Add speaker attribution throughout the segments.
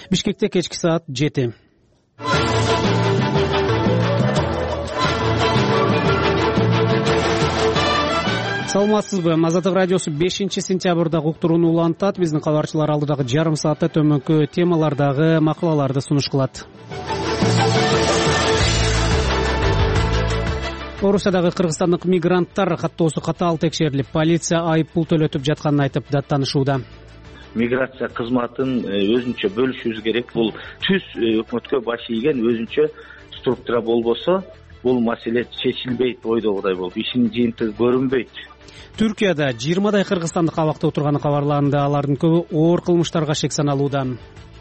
Speaker 1: Бишкекте кечки саат 7. Саламатсызбы? Азаттык радиосу 5-сентябрда уктурууну улантат. Биздин кабарчылар алдыдагы жарым саатта төмөнкү темалардагы макалаларды сунуш кылат. Орусиядагы кыргызстандык мигранттар каттоосу катаал текшерилип, полиция айып пул төлөтүп жатканын айтып даттанышууда.
Speaker 2: Миграция кызматын өзүнчө бөлүшүбүз керек. Бул түз өкмөткө баш ийген өзүнчө структура болбосо, бул маселе чечилбейт ойдогудай болуп, ишинин жыйынтыгы көрүнбөйт.
Speaker 1: Түркияда 20 кыргызстандык абакта отурганы кабарланды. Алардын көбү оор кылмыштарга шек саналууда.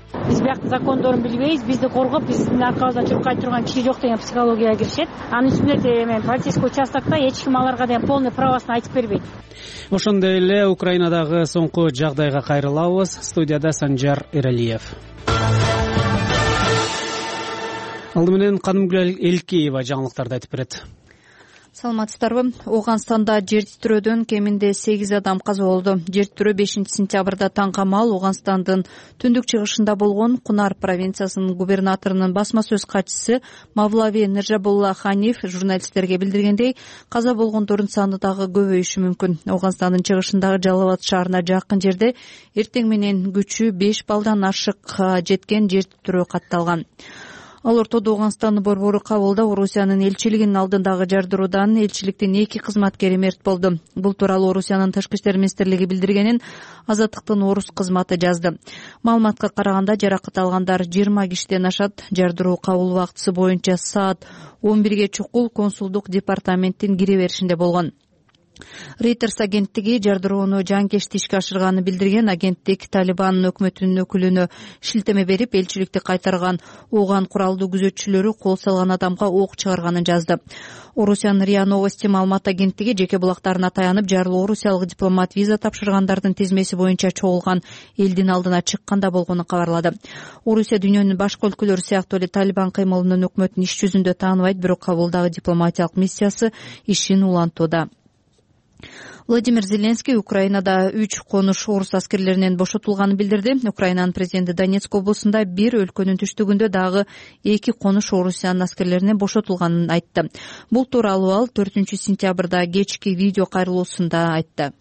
Speaker 3: Биз бияктын закондорун билбейбиз, бизди коргоп, биздин аркабыздан чуркай турган киши жок деген психологияга киришет. Анын үстүнө полицейский участокто эч ким аларга деген полный правосын айтып бербейт.
Speaker 1: Ошондой эле Украинадагы соңку жагдайга кайрылабыз. Студияда Санжар Эралиев. Алды менен Канымгүл Элкеева жаңылыктарды айтып берет.
Speaker 4: Саламатсыздарбы? Ооганстанда жер титирөөдөн кеминде 8 адам каза болду. Жер титирөө 5-сентябрда таңкамал Ооганстандын түндүк чыгышында болгон. Кунар провинциясынын губернаторунун басма сөз катчысы Мавлави Нержабулла Ханиф журналисттерге билдиргендей, каза болгондордун саны дагы көбөйүшү мүмкүн. Ооганстандын чыгышындагы Жалал-Абад шаарына жакын жерде эртең менен күчү 5 баллдан ашык жеткен жер титирөө катталган. Ал ортодо Ооганстандын борбору Кабулда Орусиянын элчилигинин алдындагы жардыруудан элчиликтин 2 кызматкери мерт болду. Бул тууралуу Орусиянын Тышкы иштер министрлиги билдиргенин Азаттыктын орус кызматы жазды. Маалыматка караганда жаракат алгандар 20 кишиден ашат. Жардыруу Кабул убактысы боюнча саат 11ге чукул консулдук департаменттин кире беришинде болгон. Reuters агенттиги жардырууну жанкечти ишке ашырганын билдирген. Агенттик Талибан өкмөтүнүн өкүлүнө шилтеме берип, элчиликти кайтарган Ооган куралдуу күзөтчүлөрү кол салган адамга ок чыгарганын жазды. Орусиянын РИА Новости маалымат агенттиги жеке булактарына таянып, жарлуу орусиялык дипломат виза тапшыргандардын тизмеси боюнча чогулган элдин алдына чыкканда болгонун кабарлады. Орусия дүйнөнүн башка өлкөлөрү сыяктуу эле Талибан кыймылынын өкмөтүн иш жүзүндө тааныбайт, бирок Кабулдагы дипломатиялык миссиясы ишин улантууда. Владимир Зеленский Украинада 3 конуш орус аскерлеринен бошотулганын билдирди. Украинанын президенти Донецк облусунда бир, өлкөнүн түштүгүндө дагы 2 конуш орусиянын аскерлеринен бошотулганын айтты. Бул тууралуу ал 4-сентябрда кечки видео кайрылуусунда айтты.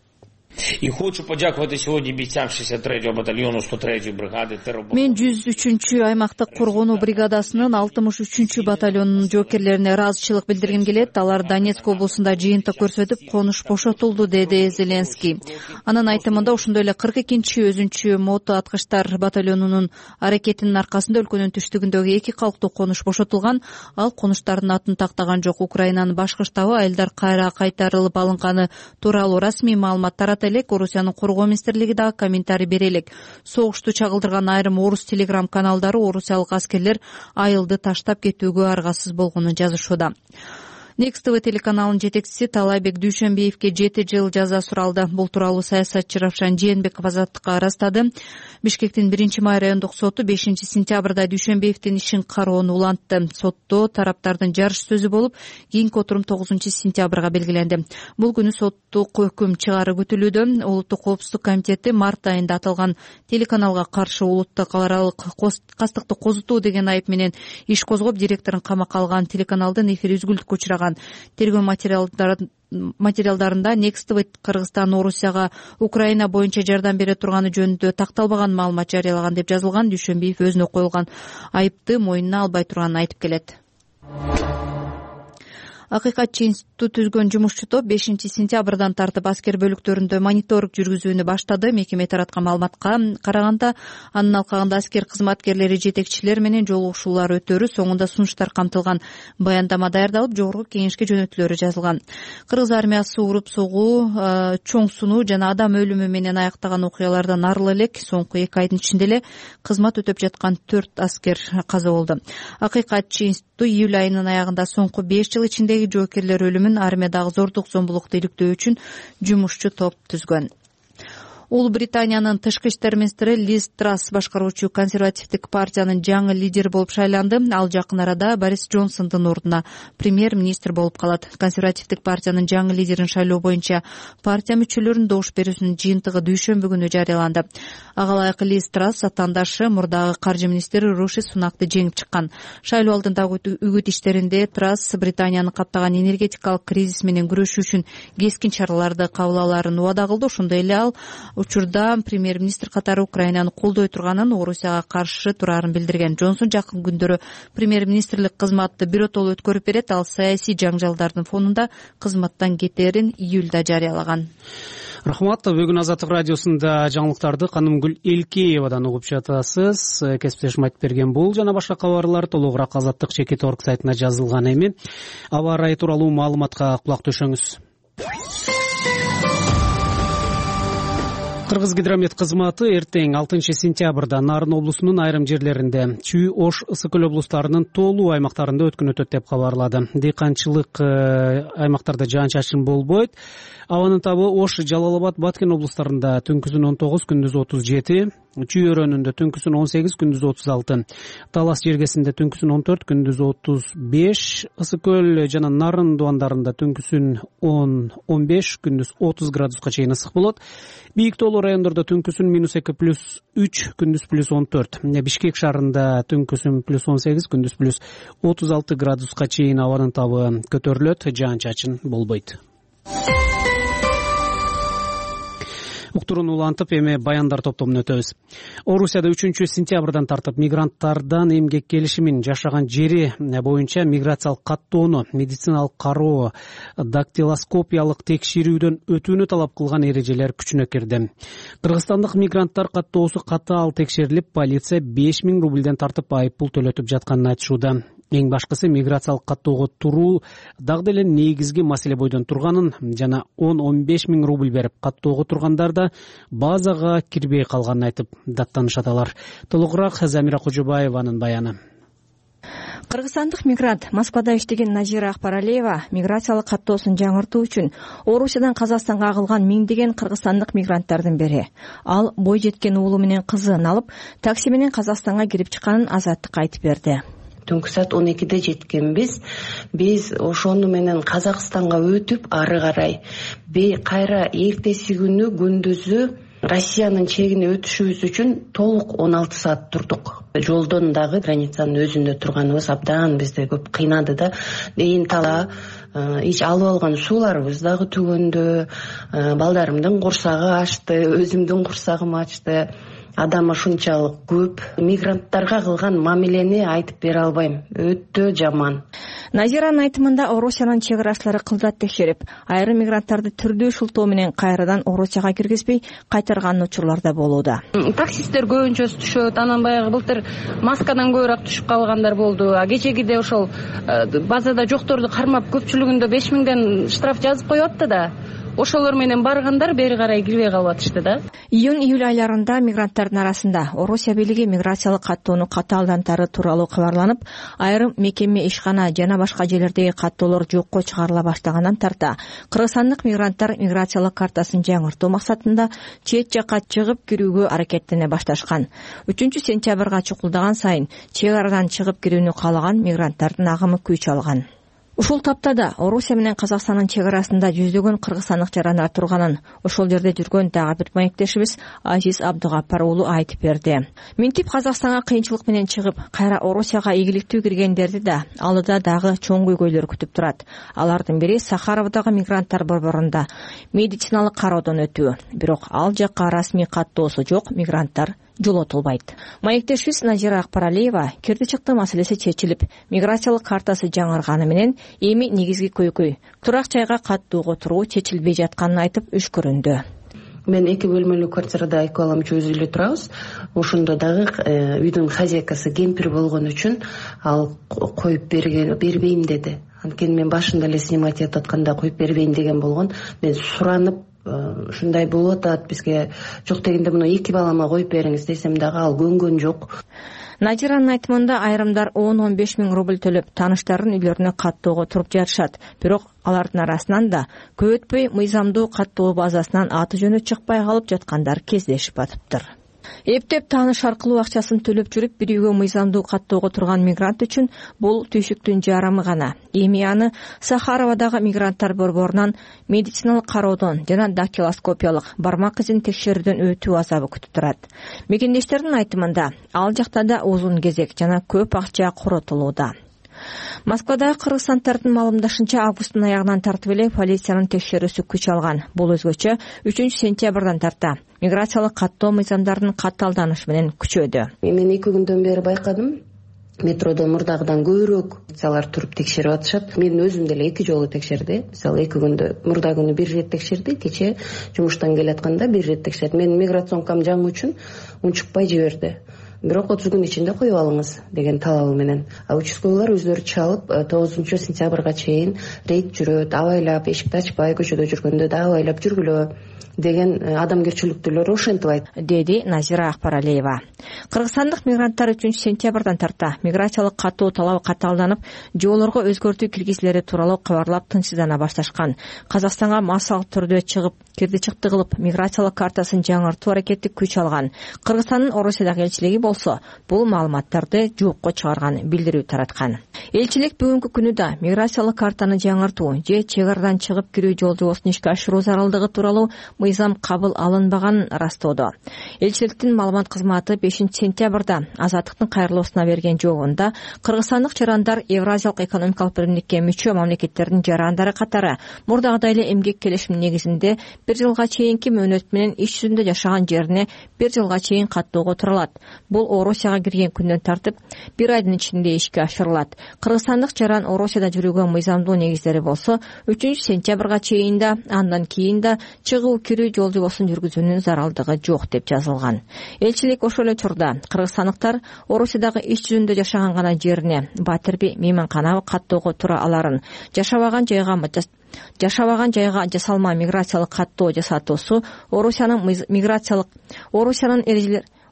Speaker 5: И хочу подякувати сьогодні бійцям 63-го батальйону 103-ї бригади тероборони.
Speaker 4: Мен 103-чү аймактык коргонуу бригадасынын 63-чү батальонунун жоокерлерине ыраазычылык билдиргим келет. Алар Донецк облусунда жыйынтык көрсөтүп, конуш бошотулду, деди Зеленский. Анын айтымында ошондой эле 42-чи өзүнчө мото аткычтар батальонунун аракетинин аркасында өлкөнүн түштүгүндөгү 2 калктуу конуш бошотулган. Ал конуштардын атын тактаган жок. Украинанын башкы штабы айылдар кайра кайтарылып алынганы тууралуу расмий маалымат тарата элек. Орусиянын коргоо министрлиги дагы комментарий бере элек. Согушту чагылдырган айрым орус телеграм каналдары орусиялык аскерлер айылды таштап кетүүгө аргасыз болгонун жазышууда. Next TV телеканалынын жетекчиси Талайбек Дүйшөнбиевге 7 жыл жаза суралды. Бул тууралуу саясатчы Равшан Жээнбеков Азаттыкка ырастады. Бишкектин 1-май райондук соту 5-сентябрда Дүйшөнбиевдин ишин кароону улантты. Сотто тараптардын жарыш сөзү болуп, кийинки отурум 9-сентябрга белгиленди. Бул күнү соттук өкүм чыгаары күтүлүүдө. Улуттук коопсуздук комитети март айында аталган телеканалга каршы улуттук калааралык кастыкты козутуу деген айып менен иш козгоп, директорун камакка алган. Телеканалдын эфири үзгүлтүккө учураган. Тергөө материалдарында Next TV Кыргызстан Орусияга Украина боюнча жардам бере турганы жөнүндө такталбаган маалымат жарыялаган деп жазылган. Дүйшөнбиев өзүнө коюлган айыпты мойнуна албай турганын айтып келет. Акыйкатчы институт түзгөн жумушчу топ 5-сентябрдан тартып аскер бөлүктөрүндө мониторинг жүргүзүүнү баштады. Мекеме тараткан маалыматка караганда, анын алкагында аскер кызматкерлери, жетекчилер менен жолугушуулар өтөрү, соңунда сунуштар камтылган. Баяндама даярдалып, жогорку кеңешке жөнөтүлөрү жазылган. Кыргыз армиясы уруп согуу, чоң сунуу жана адам өлүмү менен аяктаган окуялардан арылы элек. Соңку 2 айдын ичинде эле кызмат өтөп жаткан 4 аскер каза болду. Акыйкатчы институту июль айынын аягында соңку 5 жыл ичинде жоокерлер өлүмүн, армиядагы зордук зомбулукту иликтөө үчүн жумушчу топ түзгөн. Улуу Британиянын тышкы иштер министри Лиз Трасс башкаруучу консервативдик партиянын жаңы лидери болуп шайланды. Ал жакын арада Борис Джонсондун ордуна премьер-министр болуп калат. Консервативдик партиянын жаңы лидерин шайлоо боюнча партия мүчөлөрүнүн добуш берүүсүнүн жыйынтыгы дүйшөмбү күнү жарыяланды. Ага ылайык Лиз Трасс атаандашы мурдагы каржы министри Риши Сунакты жеңип чыккан. Шайлоо алдындагы үгүт иштеринде Трасс Британияны каптаган энергетикалык кризис менен күрөшүү үчүн кескин чараларды кабыл алаарын убада кылды. Ошондой эле ал учурда премьер-министр катары Украинаны колдой турганын, Орусияга каршы турарын билдирген. Джонсон жакын күндөрү премьер-министрлик кызматты биротоло өткөрүп берет. Ал саясий жаңжалдардын фонунда кызматтан кетерин июлда жарыялаган.
Speaker 1: Рахмат. Бүгүн Азаттык радиосунда жаңылыктарды Канымгүл Элкеевадан угуп жатасыз. Кесиптешим айтып берген бул жана башка кабарлар толугураак azattik.org сайтына жазылган эми. Аба ырайы тууралуу маалыматка кулак төшөңүз. Кыргызгидромет кызматы эртең 6 сентябрда Нарын облусунун айрым жерлеринде, Чүй, Ош, Ысык Көл облустарынын тоолуу аймактарында өткөн өтөт деп кабарлады. Дыйканчылык аймактарда жаан-чачын болбойт. Абанын табы Ош, Жалал Абад, Баткен облустарында түнкүсүн 19, күндүз 37, Чүй өрөөнүндө түнкүсүн 18, күндүз 36, Талас жергесинде түнкүсүн 14, күндүз 35, Ысык Көл жана Нарын дубандарында түнкүсүн 10-15, күндүз 30 градуска чейин ысык болот. Бийик тоолуу райондордо түнкүсүн -2+3, күндүз +14. Бишкек шаарында түнкүсүн +18, күндүз +36 градуска чейин абанын табы көтөрүлөт, жаан-чачын болбойт. Уктурууну улантып, эми баяндар топтомуна өтөбүз. Орусияда 3 сентябрдан тартып мигранттардан эмгек келишимин, жашаган жери боюнча миграциялык каттоону, медициналык кароо, дактилоскопиялык текшерүүдөн өтүүнү талап кылган эрежелер күчүнө кирди. Кыргызстандык мигранттар каттоосу катаал текшерилип, полиция 5000 рубльден тартып айыппул төлөтүп жатканын айтышууда. Эң башкысы миграциялык каттоого туруу дагы деле негизги маселе бойдон турганын жана 10-15 миң рубль берип каттоого тургандарда базага кирбей калганын айтып даттанышат алар. Толугураак Замира Кожобаеванын баяны.
Speaker 6: Кыргызстандык мигрант Москвада иштеген Назира Акбаралиева миграциялык каттоосун жаңыртуу үчүн Орусиядан Казакстанга агылган миңдеген кыргызстандык мигранттардын бири. Ал бой жеткен уулу менен кызын алып, такси менен Казакстанга кирип чыкканын Азаттыкка айтып берди.
Speaker 7: Түнкү саат 12-де жеткенбиз. Биз ошону менен Казакстанга өтүп, ары карай кайра эртеси күнү күндүзү Россиянын чегине өтүшүбүз үчүн толук 16 саат турдук. Жолдон дагы границанын өзүндө турганыбыз абдан бизди көп кыйнады да. Эйин тала ич алып алган сууларыбыз дагы түгөндө, балдарымдын курсагы ачты, өзүмдүн курсагым ачты. Адам ушунчалык көп. Мигранттарга кылган мамилени айтып бере албайм. Өтө жаман.
Speaker 6: Назиранын айтымында Орусиянын чек арачылары кылдат текшерип, айрым мигранттарды түрдүү шылтоо менен кайрадан Орусияга киргизбей кайтарган учурлар да болууда.
Speaker 8: Таксисттер көбүнчөсү түшөт. Анан баягы былтыр маскадан көбүрөөк түшүп калгандар болду. Кечегиде ошол базада жокторду кармап көпчүлүгүндө 5000ден штраф жазып коюп атты да. Ошолор менен баргандар бери карай кирбей калып атышты да.
Speaker 6: Июнь-июль айларында мигранттардын арасында Орусия бийлиги миграциялык каттоону катаалдантары тууралуу кабарланып, айрым мекеме, ишкана жана башка жерлердеги каттоолор жокко чыгарыла баштагандан тарта кыргызстандык мигранттар миграциялык картасын жаңыртуу максатында чет жакка чыгып кирүүгө аракеттене башташкан. 3 сентябрга чукулдаган сайын чек арадан чыгып кирүүнү каалаган мигранттардын агымы күч алган. Ушул таптада Орусия менен Казакстандын чек арасында жүздөгөн кыргызстандык жарандар турганын ошол жерде жүргөн дагы бир маектешибиз Азиз Абдыгапар уулу айтып берди. Минтип Казакстанга кыйынчылык менен чыгып, кайра Орусияга ийгиликтүү киргендерди да алдыда дагы чоң көйгөйлөр күтүп турат. Алардын бири Сахаровдагы мигранттар борборунда медициналык кароодон өтүү. Бирок ал жакка расмий каттоосу жок мигранттар жолотулбайт. Маектешибиз Назира Акбаралиева кирди чыкты маселеси чечилип, миграциялык картасы жаңырганы менен эми негизги көйгөй турак жайга каттоого туруу чечилбей жатканын айтып өшкөрүндү.
Speaker 7: Мен 2 бөлмөлүү квартирада 2 балам үчөөбүз эле турабыз. Ошондо дагы үйдүн хозяйкасы кемпир болгон үчүн ал коюп бербейм деди. Анткени мен башында эле снимать этип атканда коюп бербейм деген болгон. Мен суранып ушундай болуп атат, бизге жок дегенде муну 2 балама коюп бериңиз десем дагы ал көнгөн жок.
Speaker 6: Назиранын айтымында айрымдар 10-15 миң рубль төлөп тааныштарынын үйлөрүнө каттоого туруп жатышат. Бирок алардын арасынан да көп өтпөй мыйзамдуу каттоо базасынан аты жөнү чыкпай калып жаткандар кездешип атыптыр. Эптеп тааныш аркылуу акчасын төлөп жүрүп бир үйгө мыйзамдуу каттоого турган мигрант үчүн бул түйшүктүн жарымы гана. Эми аны Сахаровадагы мигранттар борборунан медициналык кароодон жана дактилоскопиялык бармак изин текшерүүдөн өтүү азабы күтүп турат. Мекендештердин айтымында ал жакта да узун кезек жана көп акча коротулууда. Москвадагы кыргызстандардын маалымдашынча августтун аягынан тартып эле полициянын текшерүүсү күч алган. Бул өзгөчө 3-сентябрдан тарта миграциялык каттоо мыйзамдарынын катталданышы менен күчөдү.
Speaker 7: Мен 2 күндөн бери байкадым. Метродо мурдагыдан көбүрөөк полициялар туруп текшерип атышат. Мен өзүм деле 2 жолу текшерди. Мисалы 2 күндө мурда күнү 1 рет текшерди, кече жумуштан келатканда 1 рет текшерди. Мен миграционкам жаңы үчүн унчукпай жиберди. Бирок 30 күн ичинде коюп алыңыз деген талабы менен. Участкойлор өздөрү чалып 9-сентябрга чейин рейд жүрөт, абайлап, эшикти ачпай көчөдө жүргөндө да абайлап жүргүлө деген адамгерчиликтүүлөр ошентип айтты, деди Назира Акбаралиева. Кыргызстандык мигранттар 3-сентябрдан тарта миграциялык каттоо талабы катаалданып, жолдорго өзгөртүү киргизилери тууралуу кабарлап тынчсыздана башташкан. Казакстанга массалык түрдө чыгып, кирди-чыкты кылып, миграциялык картасын жаңыртуу аракети күч алган. Кыргызстандын Орусиядагы элчилиги болсо, бул маалыматтарды жокко чыгарган, билдирүү тараткан. Элчилик бүгүнкү күнү да миграциялык картаны жаңыртуу же чек арадан чыгып кирүү жолжобосун ишке ашыруу зарылдыгы тууралуу мыйзам кабыл алынбаганын растоодо. Элчиликтин маалымат кызматы 5-сентябрда Азаттыктын кайрылуусуна берген жообунда кыргызстандык жарандар Евразиялык экономикалык биримдикке мүчө мамлекеттердин жарандары катары мурдагыдай эле эмгек келишиминин негизинде 1 жылга чейинки мөөнөт менен иш жүзүндө жашаган жерине 1 жылга чейин каттоого тура алат. Бул Орусияга кирген күндөн тартып 1 айдын ичинде ишке ашырылат. Кыргызстандык жаран Орусияда жүрүүгө мыйзамдуу негиздери болсо 3-сентябрга чейин да, андан кийин да чыгуу кирүү жолжобосун жүргүзүүнүн заралдыгы жок деп жазылган. Элчилик ошол эле учурда кыргызстандыктар Орусиядагы иш жүзүндө жашаган гана жерине Батирби мейманкана каттоого тура аларын, жашабаган жайга жасалма миграциялык каттоо жасатуусу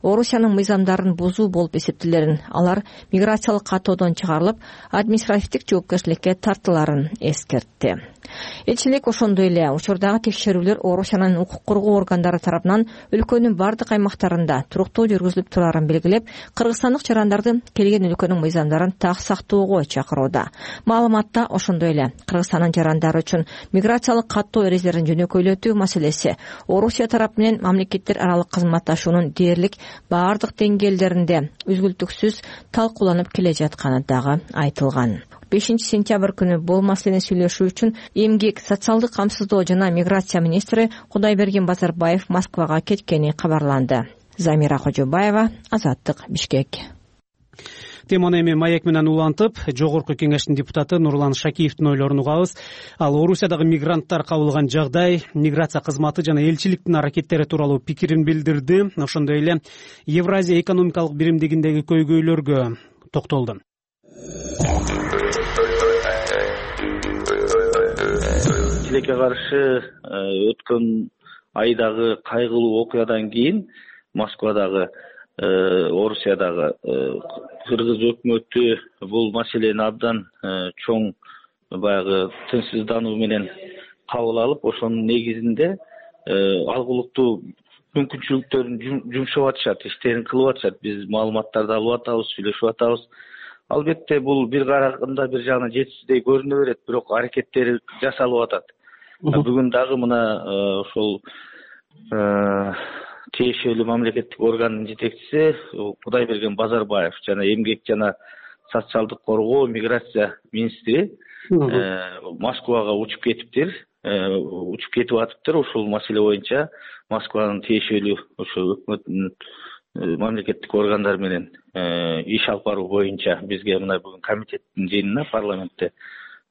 Speaker 7: Орусиянын мыйзамдарын бузуу болуп эсептелерин, алар миграциялык каттоодон чыгарылып, административдик жоопкерчиликке тартыларын эскертти. Элчилик ошондой эле учурдагы текшерүүлөр Орусиянын укук коргоо органдары тарабынан өлкөнүн бардык аймактарында туруктуу жүргүзүлүп турарын белгилеп, кыргызстандык жарандарды келген өлкөнүн мыйзамдарын так сактоого чакырууда. Маалыматта ошондой эле Кыргызстандын жарандары үчүн миграциялык каттоо эрежелерин жөнөкөйлөтүү маселеси Орусия тарап менен мамлекеттер аралык кызматташуунун дээрлик бардык деңгээлдеринде үзгүлтүксүз талкууланып келе жатканы дагы айтылган. 5-сентябрь күнү бул маселени сүйлөшүү үчүн эмгек, социалдык камсыздоо жана миграция министри Кудайберген Базарбаев Москвага кеткени кабарланды. Замира Кожобаева, Азаттык, Бишкек.
Speaker 1: Теманы эми маек менен улантып, жогорку кеңештин депутаты Нурлан Шакиевдин ойлорун угабыз. Ал Орусиядагы мигранттар кабылган жагдай, миграция кызматы жана элчиликтин аракеттери тууралуу пикирин билдирди. Ошондой эле Евразия экономикалык биримдигиндеги көйгөйлөргө токтолду.
Speaker 2: Элчиликке каршы өткөн айдагы кайгылуу окуядан кийин Москвадагы Орусиядагы кыргыз өкмөтү бул маселени абдан чоң баягы тынчсыздануу менен кабыл алып, ошонун негизинде алгылыктуу мүмкүнчүлүктөрүн жумшап атышат, иштерин кылып атышат. Биз маалыматтарды алып атабыз, сүйлөшүп атабыз. Албетте бул бир караганда бир жагынан жетишсиздей көрүнө берет, бирок аракеттери жасалып атат. Бүгүн дагы мына ошол тиешелүү мамлекеттик органдын жетекчиси Кудайберген Базарбаев жана эмгек жана социалдык коргоо миграция министри Москвага учуп кетиптир, учуп кетип атыптыр. Ушул маселе боюнча Москванын тиешелүү ошо өкмөттүн мамлекеттик органдары менен иш алып баруу боюнча бизге мына бүгүн комитеттин жыйынына парламентте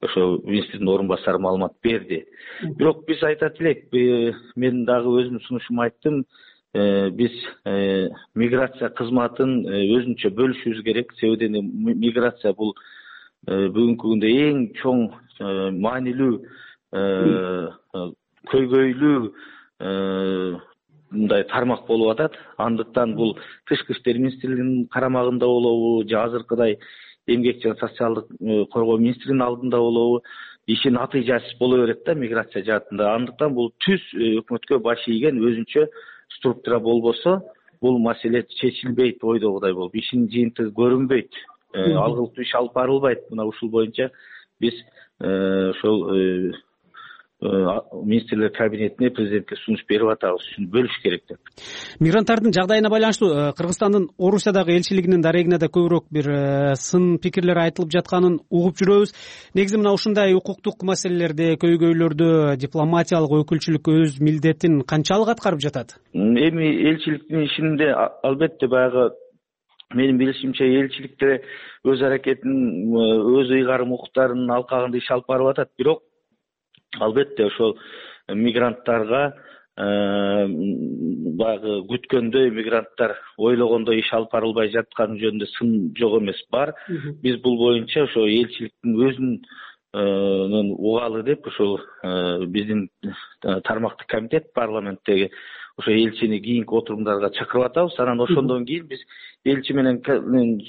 Speaker 2: ошо министрдин орун басары маалымат берди. Бирок биз айтат элек, мен дагы өзүмдүн сунушумда айттым, биз миграция кызматын өзүнчө бөлүшүбүз керек. Себеби миграция бул бүгүнкү күндө эң чоң маанилүү көйгөйлүү мындай тармак болуп атат. Андыктан бул Тышкы иштер министрлигинин карамагында болобу же азыркыдай эмгек жана социалдык коргоо министринин алдында болобу ишин натыйжасыз боло берет да миграция жаатында. Андыктан бул түз өкмөткө баш ийген өзүнчө структура болбосо бул маселе чечилбейт ойдогудай болуп, ишинин жыйынтыгы көрүнбөйт, алгылыктуу иш алып барылбайт. Мына ушул боюнча биз ошол министрлер кабинетине президентке сунуш берип атабыз, ушуну бөлүш керек деп.
Speaker 1: Мигранттардын жагдайына байланыштуу Кыргызстандын Орусиядагы элчилигинин дарегине да көбүрөөк бир сын пикирлер айтылып жатканын угуп жүрөбүз. Негизи мына ушундай укуктук маселелерде, көйгөйлөрдө дипломатиялык өкүлчүлүк өз милдетин канчалык аткарып жатат?
Speaker 2: Эми элчиликтин ишинде албетте баягы менин билишимче элчиликте өз аракетин, өз ыйгарым укуктарынын алкагында иш алып барып атат. Бирок албетте ошол мигранттарга баягы күткөндөй мигранттар ойлогондой иш алып барылбай жатканы жөнүндө сын жок эмес бар. Биз бул боюнча ошо элчиликтин өзүнүн угалы деп ошол биздин тармактык комитет парламенттеги ошо элчини кийинки отурумдарга чакырып атабыз. Анан ошондон кийин биз элчи менен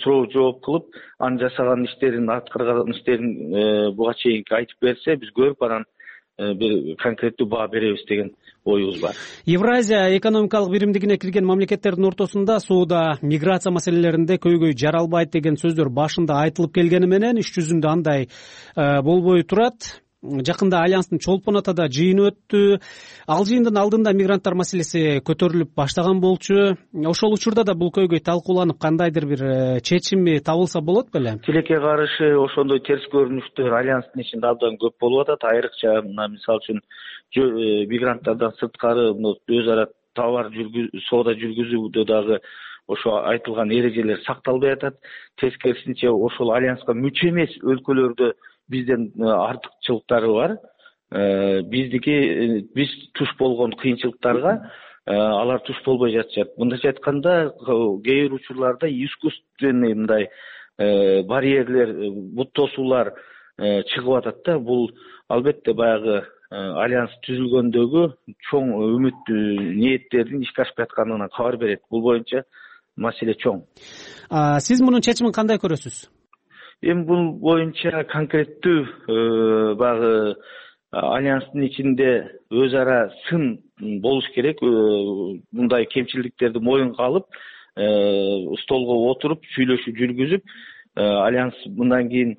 Speaker 2: суроо жооп кылып, анын жасаган иштерин, аткарган иштерин буга чейинки айтып берсе, биз көрүп анан бир конкреттүү баа беребиз деген оюбуз бар.
Speaker 1: Евразия экономикалык биримдигине кирген мамлекеттердин ортосунда сууда миграция маселелеринде көйгөй жаралбайт деген сөздөр башында айтылып келгени менен иш жүзүндө андай болбой турат. Жакында Альянстын чолпон атада жыйыны өттү. Ал жыйындын алдында мигранттар маселеси көтөрүлүп баштаган болчу. Ошол учурда да бул көйгөй талкууланып, кандайдыр бир чечими табылса болот беле?
Speaker 2: Тилекке каршы ошондой терс көрүнүштөр Альянстын ичинде абдан көп болуп атат. Айрыкча мисалы үчүн мигранттардан сырткары өз ара товар соода жүргүзүүдө дагы ошо айтылган эрежелер сакталбай атат. Тескерисинче ошол Альянска мүчө эмес өлкөлөрдө бизден артыкчылыктары бар. Биз туш болгон кыйынчылыктарга алар туш болбой жатышат. Мындайча айтканда, кээ бир учурларда искусственный мындай барьерлер, бут тосуулар чыгып атат да. Бул албетте баягы Альянс түзүлгөндөгү чоң үмүт ниеттердин ишке ашпай атканынан кабар берет. Бул боюнча маселе чоң.
Speaker 1: Сиз мунун чечимин кандай көрөсүз?
Speaker 2: Эми бул боюнча конкреттүү баягы Альянстын ичинде өз ара сын болуш керек. Мындай кемчилдиктерди моюнга алып, столго отуруп, сүйлөшүү жүргүзүп, Альянс мындан кийин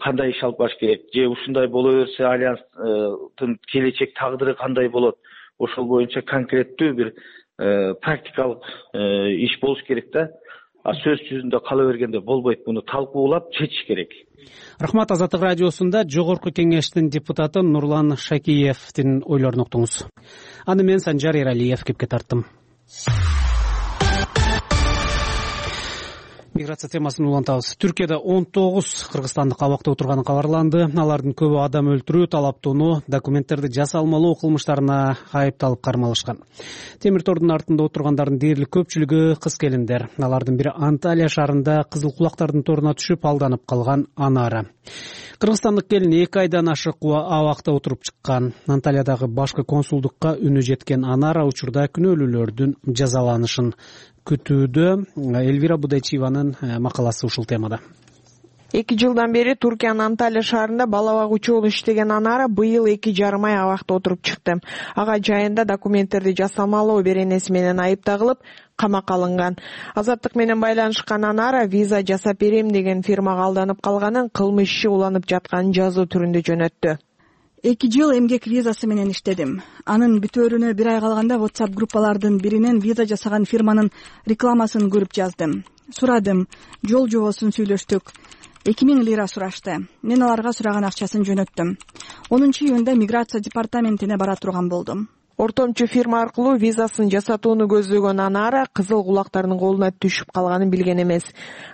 Speaker 2: кандай иш алып барыш керек, же ушундай боло берсе Альянстын келечек тагдыры кандай болот, ошол боюнча конкреттүү бир практикалык иш болуш керек да. Сөз жүзүндө кала бергенде болбойт, муну талкуулап чечиш керек.
Speaker 1: Рахмат. Азаттык радиосунда Жогорку кеңештин депутаты Нурлан Шакиевдин ойлорун уктуңуз. Аны мен Санжар Эралиев кепке тарттым. Миграция темасын улантабыз. Түркияда 19 кыргызстандык абакта отурганы кабарланды. Алардын көбү адам өлтүрүү, талаптоону, документтерди жасалмалоо кылмыштарына айыпталып кармалышкан. Темир тордун артында отургандардын дээрлик көпчүлүгү кыз келиндер. Алардын бири Анталия шаарында кызыл кулактардын торуна түшүп алданып калган Анара. Кыргызстандык келин 2 айдан ашык абакта отуруп чыккан. Анталиядагы башкы консулдукка үнү жеткен Анара учурда күнөөлүүлөрдүн жазаланышын күтүүдө. Элвира Будайчиеванын макаласы ушул темада.
Speaker 9: 2 жылдан бери Туркиянын Анталия шаарында бала багуучу болуп иштеген Анара быйыл 2,5 ай абакта отуруп чыкты. Ага жайында документтерди жасалмалоо беренеси менен айып тагылып, камакка алынган. Азаттык менен байланышкан Анара виза жасап берем деген фирмага алданып калганын, кылмыш иши уланып жатканын жазуу түрүндө жөнөттү.
Speaker 10: 2 жыл эмгек визасы менен иштедим. Анын бүтөөрүнө 1 ай калганда WhatsApp группалардын биринен виза жасаган фирманын рекламасын көрүп жаздым. Сурадым, жол жобосун сүйлөштүк. 2000 лира сурашты. Мен аларга сураган акчасын жөнөттүм. 10-июнда миграция департаментине бара турган болдум.
Speaker 9: Ортомчу фирма аркылуу визасын жасатууну көздөгөн Анара кызыл кулактардын колуна түшүп калганын билген эмес.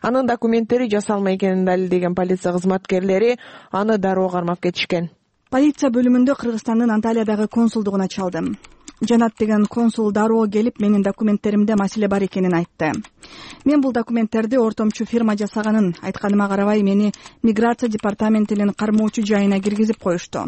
Speaker 9: Анын документтери жасалма экенин далилдеген полиция кызматкерлери аны дароо кармап кетишкен.
Speaker 10: Полиция бөлүмүндө Кыргызстандын Анталиядагы консулдугуна чалдым. Жанат деген консул дароо келип, менин документтеримде маселе бар экенин айтты. Мен бул документтерди ортомчу фирма жасаганын айтканыма карабай, мени миграция департаментинин кармоочу жайына киргизип коюшту.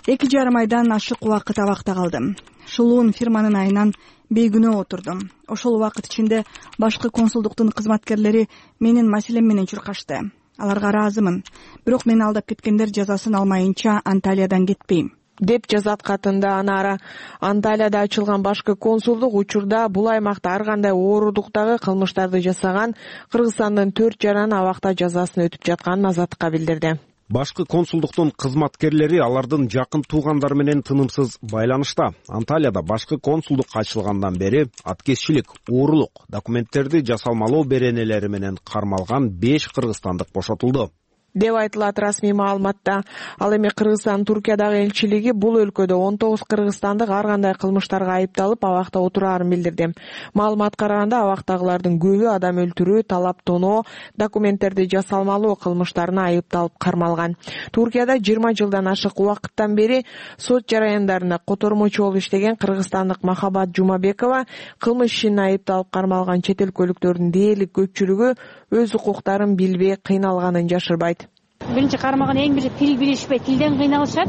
Speaker 10: 2,5 айдан ашык убакыт абакта калдым. Шулуун фирманын айынан бейгүнөө отурдум. Ошол убакыт ичинде башкы консулдуктун кызматкерлери менин маселем менен чуркашты. Аларга ыраазымын. Бирок мени алдап кеткендер жазасын алмайынча Анталиядан кетпейм
Speaker 9: деп жазат катында Анара. Анталияда ачылган башкы консулдук учурда бул аймакта ар кандай оорудуктагы кылмыштарды жасаган Кыргызстандын 4 жаран абакта жазасын өтүп жатканын Азаттыкка билдирди.
Speaker 11: Башкы консулдуктун кызматкерлери алардын жакын туугандары менен тынымсыз байланышта. Анталияда башкы консулдук ачылгандан бери аткезчилик, уурулук, документтерди жасалмалоо беренелери менен кармалган 5 кыргызстандык бошотулду
Speaker 9: деп айтылат расмий маалыматта. Ал эми Кыргызстан Туркиядагы элчилиги бул өлкөдө 19 кыргызстандык ар кандай кылмыштарга айыпталып абакта отураарын билдирди. Маалыматка караганда абактагылардын көбү адам өлтүрүү, талап тоноо, документтерди жасалмалоо кылмыштарына айыпталып кармалган. Туркияда 20 жылдан ашык убакыттан бери сот жараяндарында котормочу болуп иштеген кыргызстандык Махабат Жумабекова кылмыш ишине айыпталып кармалган чет өлкөлүктөрдүн дээрлик көпчүлүгү өз укуктарын билбей кыйналганын жашырбайт.
Speaker 3: Биринчи кармалган эң биринчи тил билишпей, тилден кыйналышат.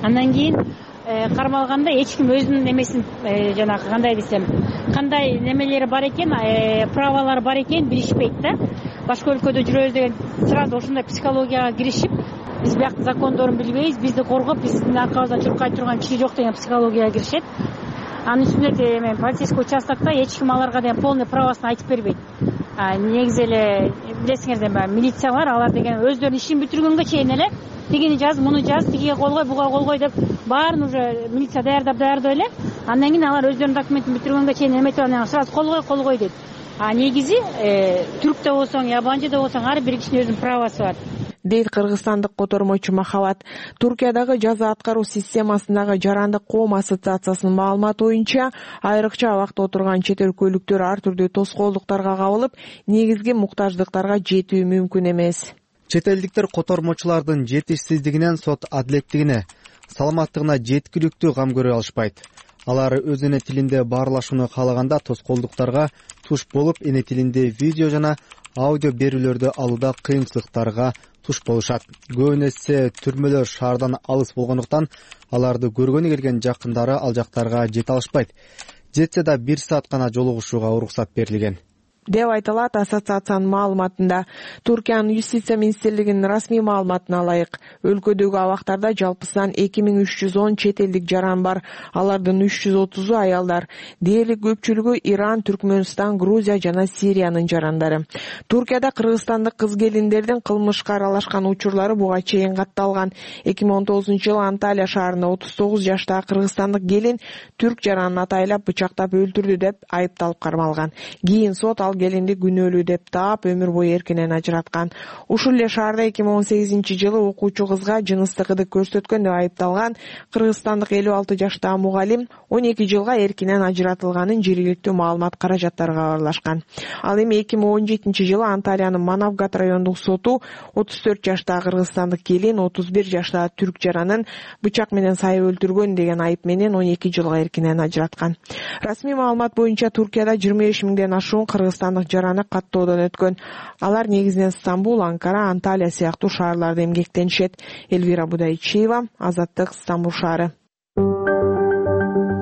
Speaker 3: Андан кийин кармалганда эч ким өзүнүн эмесин жанагы кандай десем, кандай немелери бар экен, правалары бар экен билишпейт да. Башка өлкөдө жүрөбүз деген сразу ошондой психологияга киришип, биз бияктын закондорун билбейбиз, бизди коргоп, биздин аркабыздан чуркай турган киши жок деген психологияга киришет. Анын үстүнө полицейский участокто эч ким аларга деген полный правосын айтып бербейт. Негизи эле билесиңердер, милициялар алар деген өздөрүнүн ишин бүтүргөнгө чейин эле тигини жаз, муну жаз, тигиге кол кой, буга кол кой деп баарын уже милиция даярдап эле. Андан кийин алар өздөрүнүн документин бүтүргөнгө чейин эметип анан сразу кол кой дейт. Негизи түрктө болсоң, ябанчыда болсоң ар бир кишинин өзүнүн правосу бар
Speaker 9: дейт кыргызстандык котормочу Махабат. Туркиядагы жаза аткаруу системасындагы Жарандык коом ассоциациясынын маалыматы боюнча, айрыкча абакта отурган чет өлкөлүктөр ар түрдүү тоскоолдуктарга кабылып, негизги муктаждыктарга жетүү мүмкүн эмес.
Speaker 12: Чет элдиктер котормочулардын жетишсиздигинен сот адилеттигине, саламаттыгына жеткиликтүү кам көрө алышпайт. Алар өз эне тилинде баарлашууну каалаганда тоскоолдуктарга туш болуп, эне тилинде видео жана аудио берүүлөрдү алууда кыйынчылыктарга туш болушат. Көбүнө эсе түрмөлөр шаардан алыс болгондуктан аларды көргөнү келген жакындары ал жактарга жете алышпайт. Жетсе да 1 саат гана жолугушууга уруксат берилген
Speaker 9: деп айтылат ассоциациянын маалыматында. Туркиянын юстиция министрлигинин расмий маалыматына ылайык, өлкөдөгү абактарда жалпысынан 2310 чет элдик жаран бар. Алардын 330-у аялдар. Дээрлик көпчүлүгү Иран, Түркмөнстан, Грузия жана Сириянын жарандары. Туркияда кыргызстандык кыз келиндердин кылмышка аралашкан учурлары буга чейин катталган. 2019-жылы Анталия шаарында 39 жаштагы кыргызстандык келин түрк жаранын атайлап бычактап өлтүрдү деп айыпталып кармалган. Кийин сот ал келинди күнөөлүү деп таап, өмүр бою эркинен ажыраткан. Ушул эле шаарда 2018-жылы окуучу кызга жыныстык ыдык көрсөткөн деп айыпталган кыргызстандык 56 жаштагы мугалим 12 жылга эркинен ажыратылганын жергиликтүү маалымат каражаттары кабарлашкан. Ал эми 2017-жылы Анталиянын Манавгат райондук соту 34 жаштагы кыргызстандык келин 31 жаштагы түрк жаранын бычак менен сайып өлтүргөн деген айып менен 12 жылга эркинен ажыраткан. Расмий маалымат боюнча Туркияда 25 миңден ашуун кыргызстандык жараны каттоодон өткөн. Алар негизинен Стамбул, Анкара, Анталия сыяктуу шаарларда эмгектенишет. Элвира Будайчиева, Азаттык, Стамбул шаары.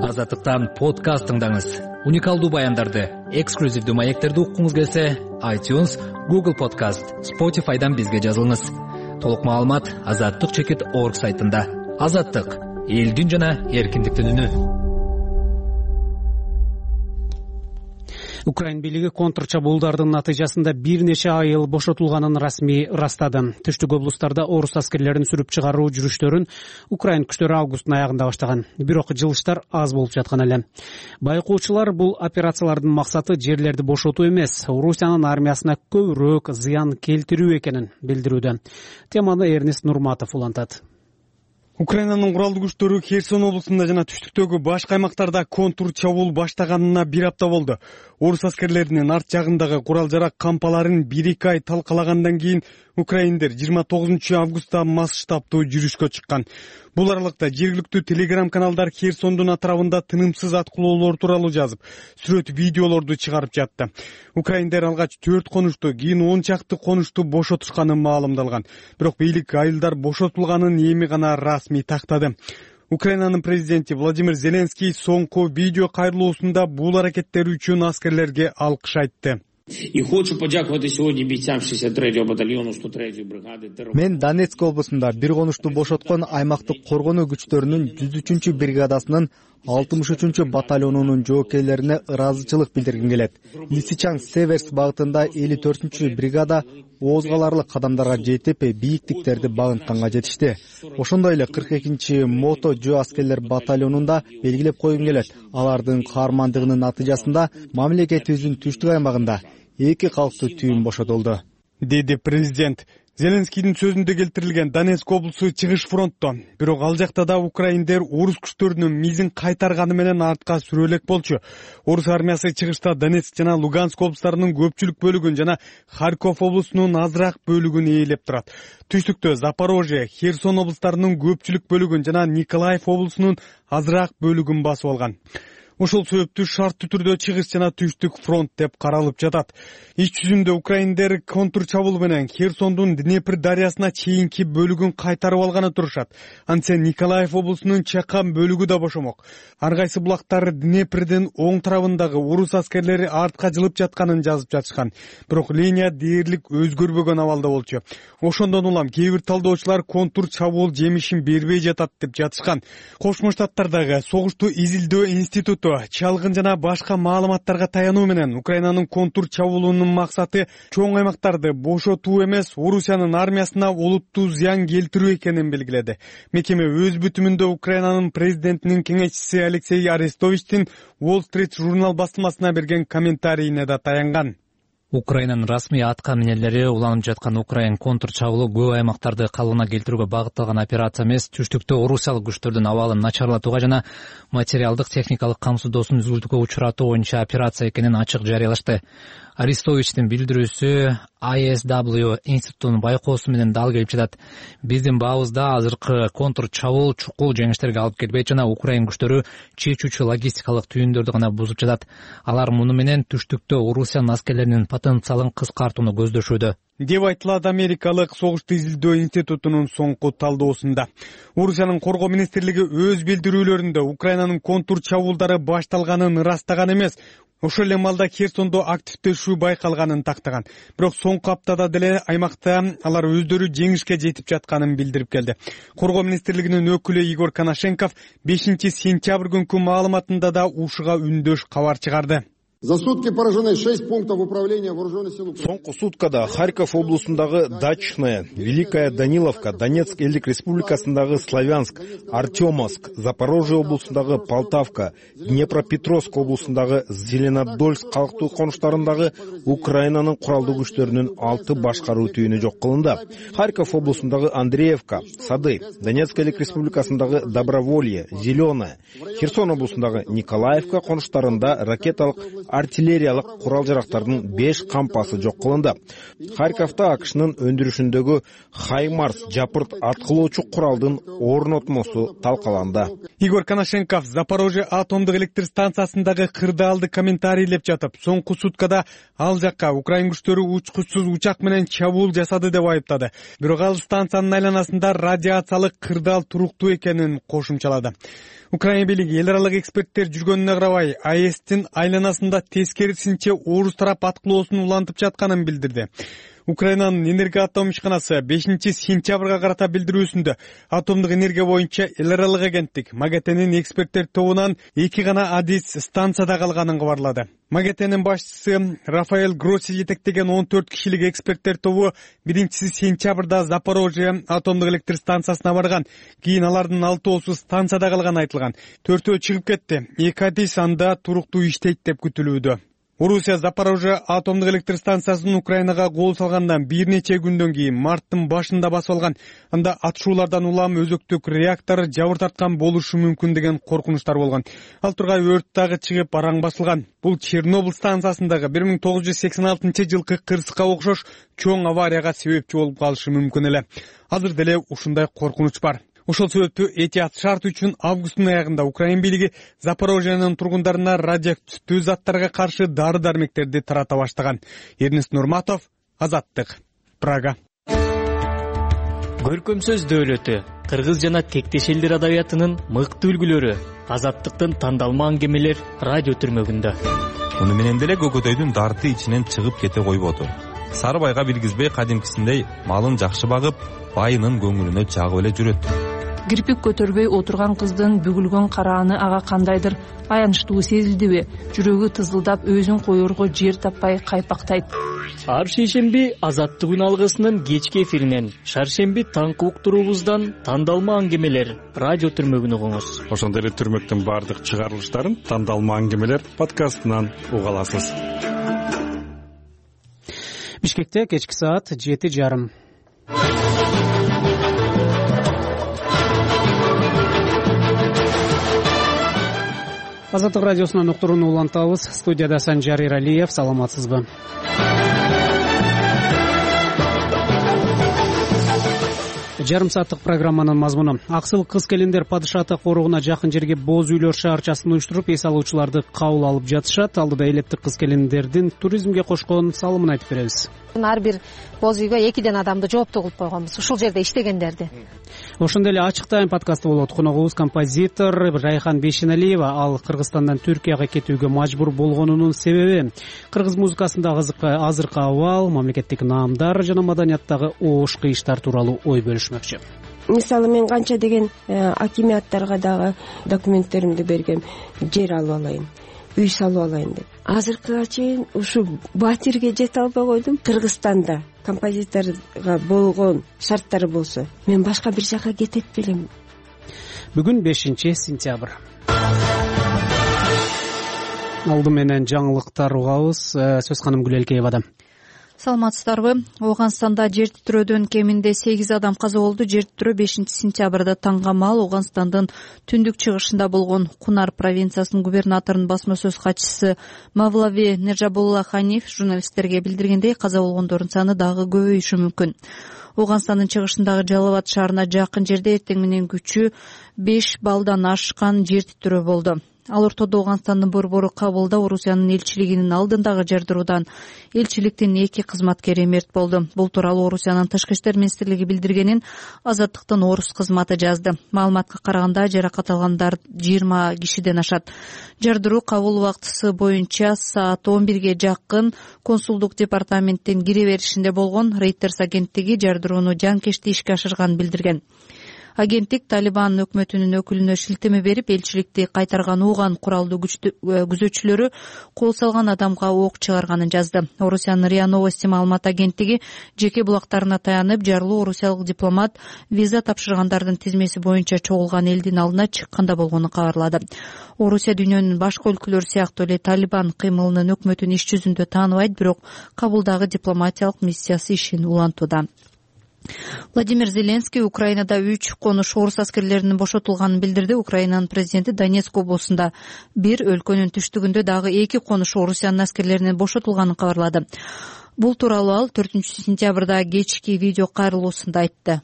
Speaker 13: Азаттыктан подкаст тыңдаңыз. Уникалдуу баяндарды, эксклюзивдүү маектерди уккуңуз келсе, iTunes, Google Podcast, Spotify'дан бизге жазылыңыз. Толук маалымат azattyk.org сайтында. Азаттык — элдин жана эркиндиктин үнү.
Speaker 1: Украин бийлиги контрчабуулдардын натыйжасында бир нече айыл бошотулганын расмий ырастады. Түштүк облустарда орус аскерлерин сүрүп чыгаруу жүрүштөрүн Украин күчтөрү августтун аягында баштаган. Бирок жылыштар аз болуп жаткан эле. Байкоочулар бул операциялардын максаты жерлерди бошотуу эмес, Орусиянын армиясына көбүрөөк зыян келтирүү экенин билдирүүдө. Теманы Эрнест Нурматов улантат.
Speaker 14: Украинанын куралдуу күчтөрү Херсон облусунда жана түштүктөгү башка аймактарда контур чабуул баштаганына 1 апта болду. Орус аскерлеринин арт жагындагы курал-жарак кампаларын 1-2 ай талкалагандан кийин Украиндер 29 августта масштабдуу жүрүшкө чыккан. Бул аралыкта жергиликтүү телеграм каналдар Херсондун атырабында тынымсыз аткылоолор тууралуу жазып, сүрөт видеолорду чыгарып жатты. Украиндер алгач 4 конушту, кийин 10 чакты конушту бошотушканы маалымдалган. Бирок бийлик айылдар бошотулганын эми гана расмий тактады. Украинанын президенти Владимир Зеленский соңку видео кайрылуусунда бул аракеттер үчүн аскерлерге алкыш айтты.
Speaker 5: И хочу подякувати сьогодні бійцям 63-го батальйону 103-ї бригади.
Speaker 12: Мен Донецк облусунда бир конушту бошоткон аймактык коргонуу күчтөрүнүн 103 бригадасынын 63 батальонунун жоокейлерине ыраазычылык билдиргим келет. Лисичанск-Северск багытында 54 бригада ооз каларлык кадамдарга жетип, бийиктиктерди багынтканга жетишти. Ошондой эле 42 мото жөө аскерлер батальонунда белгилеп койгум келет. Алардын каармандыгынын натыйжасында мамлекетибиздин түштүк аймагында 2 калктуу түйүн бошотулду,
Speaker 14: деди президент. Зеленскийдин сөзүндө келтирилген Донецк облусу чыгыш фронтто. Бирок ал жакта да украиндер орус күчтөрүнүн мизин кайтарганы менен артка сүрө элек болчу. Орус армиясы чыгышта Донецк жана Луганск облустарынын көпчүлүк бөлүгүн жана Харьков облусунун азыраак бөлүгүн ээлеп турат. Түштүктө Запорожье, Херсон облустарынын көпчүлүк бөлүгүн жана Николаев облусунун азыраак бөлүгүн басып алган. Ошол себептүү шарттуу түрдө чыгыш жана түштүк фронт деп каралып жатат. Ич жүзүндө украиндер контур чабуул менен Херсондун Днепр дарыясына чейинки бөлүгүн кайтарып алганы турушат. Антсе Николаев облусунун чакан бөлүгү да бошомок. Ар кайсы булактар Днепрдин оң тарабындагы орус аскерлери артка жылып жатканын жазып жатышкан. Бирок линия дээрлик өзгөрбөгөн абалда болчу. Ошондон улам кээ бир талдоочулар контур чабуул жемишин бербей жатат деп жатышкан. Кошмо Штаттардагы согушту изилдөө институту чалгын жана башка маалыматтарга таянуу менен Украинанын контур чабуулунун максаты чоң аймактарды бошотуу эмес, Орусиянын армиясына олуттуу зыян келтирүү экенин белгиледи. Мекеме өз бүтүмүндө Украинанын президентинин кеңешчиси Алексей Арестовичтин Wall Street журнал басылмасына берген комментарийине да таянган.
Speaker 13: Украинанын расмий атка минелери уланып жаткан Украин контур чабуулу көп аймактарды калыбына келтирүүгө багытталган операция эмес, түштүктө орусиялык күчтөрдүн абалын начарлатууга жана материалдык техникалык камсыздоосун үзгүлтүүгө учуратуу боюнча операция экенин ачык жарыялашты. Арестовичтин билдирүүсү ISW институтунун байкоосу менен дал келип жатат. Биздин баабызда азыркы контур чабуул чукул жеңиштерге алып келбейт жана Украин күчтөрү чечүүчү логистикалык түйүндөрдү гана бузуп жатат. Алар муну менен түштүктө Орусиянын аскерлеринин потенциалын кыскартууну көздөшүүдө,
Speaker 14: деп айтылат Америкалык согушту изилдөө институтунун соңку талдоосунда. Орусиянын коргоо министрлиги өз билдирүүлөрүндө Украинанын контур чабуулдары башталганын ырастаган эмес, ошол эле маалда Херсондо активдешүү байкалганын тактаган. Бирок соңку аптада деле аймакта алар өздөрү жеңишке жетип жатканын билдирип келди. Коргоо министрлигинин өкүлү Игорь Коношенков 5-сентябрь күнкү маалыматында да ушуга үндөш кабар чыгарды.
Speaker 15: За сутки поражены 6 пунктов управления вооруженных сил.
Speaker 11: Соңку суткада Харьков облусундагы Дачное, Великая Даниловка, Донецк элдик республикасындагы Славянск, Артемовск, Запорожье облусундагы Полтавка, Днепропетровск облусундагы Зеленодольск калктуу конуштарындагы Украинанын куралдуу күчтөрүнүн 6 башкаруу түйүнү жок кылынды. Харьков облусундагы Андреевка, Сады, Донецк элдик республикасындагы Доброволье, Зеленое, Херсон облусундагы Николаевка конуштарында ракеталык артиллериялык курал-жарактардын 5 кампасы жок кылынды. Харьковто АКШнын өндүрүшүндөгү Хаймарс жапырт аткылоочу куралдын орнотмосу талкаланды.
Speaker 14: Игорь Коношенков Запорожье атомдук электр станциясындагы кырдаалды комментарийлеп жатып, соңку суткада ал жакка Украин күчтөрү учкучсуз учак менен чабуул жасады деп айыптады. Бирок ал станциянын айланасында радиациялык кырдаал туруктуу экенин кошумчалады. Украина бийлиги эл аралык эксперттер жүргөнүнө карабай, АЭСтин айланасында тескерисинче орус тарап аткылоосун улантып жатканын билдирди. Украинанын энергия атом ишканасы 5-сентябрга карата билдирүүсүндө атомдук энергия боюнча эл аралык агенттик МАГАТЭнин эксперттер тобунан 2 гана адис станцияда калганын кабарлады. МАГАТЭнин башчысы Рафаэль Гросси жетектеген 14 кишилик эксперттер тобу 1-сентябрда Запорожье атомдук электр станциясына барган. Кийин алардын 6-оосу станцияда калганы айтылган. 4-өө чыгып кетти. 2 адис анда туруктуу иштейт деп күтүлүүдө. Орусия Запорожье атомдук электр станциясын Украинага кол салгандан бир нече күндөн кийин марттын башында басып алган. Анда атышуулардан улам өзөктүк реактор жабыр тарткан болушу мүмкүн деген коркунучтар болгон. Ал тургай өрт дагы чыгып араң басылган. Бул Чернобыль станциясындагы 1986-жылкы кырсыкка окшош чоң аварияга себепчи болуп калышы мүмкүн эле. Азыр деле ушундай коркунуч бар. Ошол себептүү этият шарт үчүн августтун аягында Украин бийлиги Запорожьенин тургундарына радиоактивдүү заттарга каршы дары-дармектерди тарата баштаган. Эрнест Нурматов, Азаттык, Прага.
Speaker 16: Көркөмсөз дөөлөтү, кыргыз жана тектеш элдер адабиятынын мыкты үлгүлөрү, Азаттыктын тандалма аңгемелер радио түрмөгүндө.
Speaker 17: Муну менен деле көкөтөйдүн дарты ичинен чыгып кете койбоду. Сары байга билгизбей кадимкисиндей малын жакшы багып, байынын көңүлүнө жагып эле жүрөт.
Speaker 18: Кирпик көтөрбөй отурган кыздын бүгүлгөн карааны ага кандайдыр аянычтуу сезилдиби? Жүрөгү тызылдап, өзүн коерго жер таппай кайпактайт.
Speaker 16: Ар шейшемби Азаттык үн алгысынын кечки эфиринен, шаршемби таңкы уктуруубуздан тандалма аңгемелер радио түрмөгүн угуңуз.
Speaker 19: Ошондой эле түрмөктүн баардык чыгарылыштарын тандалма аңгемелер подкастынан уга аласыз.
Speaker 1: Бишкекте кечки саат 7:30. Азаттык радиосунан уктурууну улантабыз. Студияда Санжар Иралиев. Саламатсызбы? Жарым сааттык программанын мазмуну. Аксыл кыз-келиндер падышаты коругуна жакын жерге боз үйлөр шаарчасын уюштуруп, эс алуучуларды кабыл алып жатышат. Алдыда элептик кыз-келиндердин туризмге кошкон салымын айтып беребиз.
Speaker 20: Ар бир боз үйгө 2 адамды жооптуу кылып койгонбуз, ушул жерде иштегендерди.
Speaker 1: Ошондой эле ачык тайм подкасты болот. Коногубуз композитор Райхан Бейшеналиева. Ал Кыргызстандан Түркияга кетүүгө мажбур болгонунун себеби, кыргыз музыкасындагы азыркы абал, мамлекеттик наамдар жана маданияттагы оош кыйыштар тууралуу ой бөлүшмөкчү.
Speaker 21: Мисалы мен канча деген акимияттарга дагы документтеримди бергем, жер алып алайын, үй салып алайын деп. Азыркыга чейин ушу батирге жете албай койдум. Кыргызстанда композиторго болгон шарттары болсо, мен башка бир жака кетет белем.
Speaker 1: Бүгүн 5-сентябрь. Алды менен жаңылыктар угабыз. Сөз ханым Гүлелкеевада.
Speaker 4: Саламатсыздарбы? Ооганстанда жер титирөөдөн кеминде 8 адам каза болду. Жер титирөө 5-сентябрда таңгамал Ооганстандын түндүк чыгышында болгон. Кунар провинциясынын губернаторунун басма сөз катчысы Мавлави Нержабулла Ханиф журналисттерге билдиргендей, каза болгондордун саны дагы көбөйүшү мүмкүн. Ооганстандын чыгышындагы Жалалабад шаарына жакын жерде эртең менен күчү 5 баллдан ашкан жер титирөө болду. Ал ортодо Ооганстандын борбору Кабулда Орусиянын элчилигинин алдындагы жардыруудан элчиликтин 2 кызматкери мерт болду. Бул тууралуу Орусиянын Тышкы иштер министрлиги билдиргенин Азаттыктын орус кызматы жазды. Маалыматка караганда жаракат алгандар 20 кишиден ашат. Жардыруу Кабул убактысы боюнча саат 11ге жакын консулдук департаменттин кире беришинде болгон. Reuters агенттиги жардырууну жанкечти ишке ашырганын билдирген. Агенттик Талибан өкмөтүнүн өкүлүнө шилтеме берип, элчиликти кайтарган уган куралдуу күзөтчүлөрү кол салган адамга ок чыгарганын жазды. Орусиянын РИА Новости маалымат агенттиги жеке булактарына таянып, жарлуу орусиялык дипломат виза тапшыргандардын тизмеси боюнча чогулган элдин алдына чыкканда болгонун кабарлады. Орусия дүйнөнүн башка өлкөлөрү сыяктуу эле Талибан кыймылынын өкмөтүн иш жүзүндө тааныбайт, бирок Кабулдагы дипломатиялык миссиясы ишин улантууда. Владимир Зеленский Украинада 3 конуш орус аскерлеринин бошотулганын билдирди. Украинанын президенти Донецк облусунда бир, өлкөнүн түштүгүндө дагы 2 конуш орусиянын аскерлеринин бошотулганын кабарлады. Бул тууралуу ал 4-сентябрда кечки видео кайрылуусунда айтты.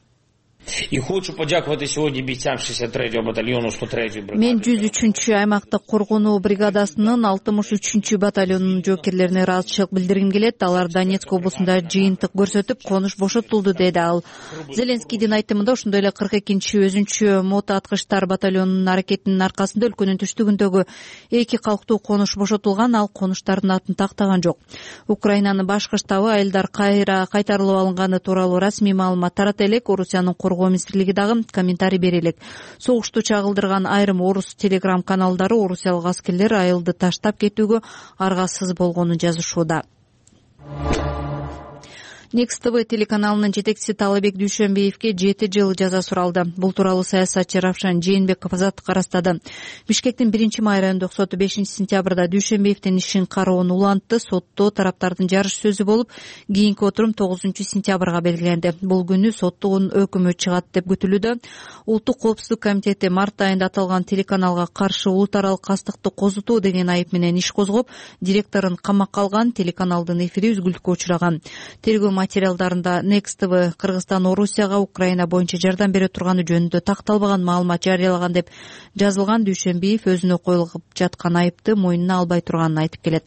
Speaker 5: И хочу подякувати сегодня бійцям 63-го батальону 103-й бригады.
Speaker 4: Мен 103-чү аймактык коргонуу бригадасынын 63-чү батальонунун жоокерлерине ыраазычылык билдиргим келет. Алар Донецк облусунда жыйынтык көрсөтүп, конуш бошотулду, деди ал. Зеленскийдин айтымында ошондой эле 42-чи өзүнчө мотоаткычтар батальонунун аракетинин аркасында өлкөнүн түштүгүндөгү 2 калктуу конуш бошотулган. Ал конуштардын атын тактаган жок. Украинанын башкы штабы айылдар кайтарылып алынганы тууралуу расмий маалымат тарата элек. Орусиянын коргоо министрлиги дагы комментарий бере элек. Согушту чагылдырган айрым орус телеграм каналдары орусиялык аскерлер айылды таштап кетүүгө аргасыз болгонун жазышууда. Next TV телеканалынын жетекчиси Таалайбек Дүйшөнбиевге 7 жыл жаза суралды. Бул тууралуу саясатчы Равшан Жээнбеков азаттыкка ырастады. Бишкектин 1-май райондук соту 5-сентябрда Дүйшөнбиевдин ишин кароону улантты. Сотто тараптардын жарыш сөзү болуп, кийинки отурум 9-сентябрга белгиленди. Бул күнү соттун өкүмү чыгат деп күтүлүүдө. Улуттук коопсуздук комитети март айында аталган телеканалга каршы улут аралык кастыкты козутуу деген айып менен иш козгоп, директорун камакка алган. Телеканалдын эфири үзгүлтүккө учураган. Тергөө материалдарында Next TV Кыргызстан Орусияга Украина боюнча жардам бере турганы жөнүндө такталбаган маалымат жарыялаган деп жазылган. Дүйшөнбиев өзүнө коюлуп жаткан айыпты мойнуна албай турганын айтып келет.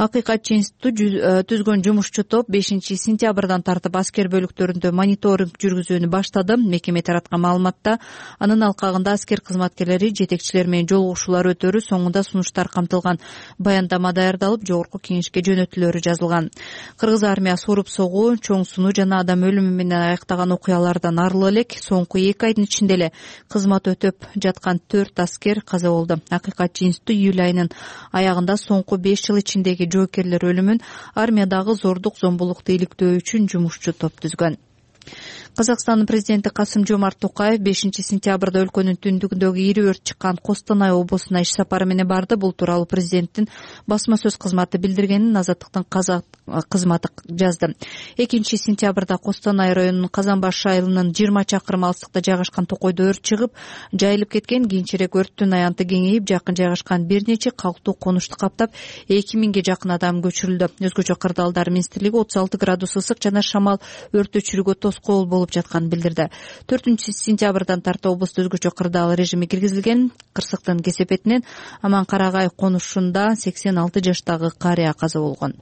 Speaker 4: Акыйкатчы институту түзгөн жумушчу топ 5-сентябрдан тартып аскер бөлүктөрүндө мониторинг жүргүзүүнү баштады. Мекеме тараткан маалыматта анын алкагында аскер кызматкерлери жетекчилер менен жолугушуулар өтөрү, соңунда сунуштар камтылган баяндама даярдалып, жогорку кеңешке жөнөтүлөрү жазылган. Кыргыз армиясы уруп согуу, чоң сунуу жана адам өлүмү менен аяктаган окуялардан арылы элек. Соңку 2 айдын ичинде эле кызмат өтөп жаткан 4 аскер каза болду. Акыйкатчы институту июль айынын аягында соңку 5 жыл ичиндеги жоокерлер өлүмүн, армиядагы зордук зомбулукту иликтөө үчүн жумушчу топ түзгөн. Казакстандын президенти Касым-Жомарт Токаев 5-сентябрда өлкөнүн түндүгүндөгү ири өрт чыккан Костанай облусуна иш сапары менен барды. Бул тууралуу президенттин басма сөз кызматы билдиргенин Азаттыктын кызматы жазды. 2-сентябрда Костанай районунун Казанбаш айылынын 20 чакырым алыстыкта жайгашкан токойдо өрт чыгып, жайылып кеткен. Кийинчерээк өрттүн аянты кеңейип, жакын жайгашкан бир нече калктуу конушту каптап, 2000ге жакын адам көчүрүлдү. Өзгөчө кырдаалдар министрлиги 36 градус ысык жана шамал өрт өчүрүүгө тоскоол болуп жатканын билдирди. 4-сентябрдан тарта облусту өзгөчө кырдаал режими киргизилген. Кырсыктын кесепетинен Аман-Карагай конушунда 86 жаштагы карыя каза болгон.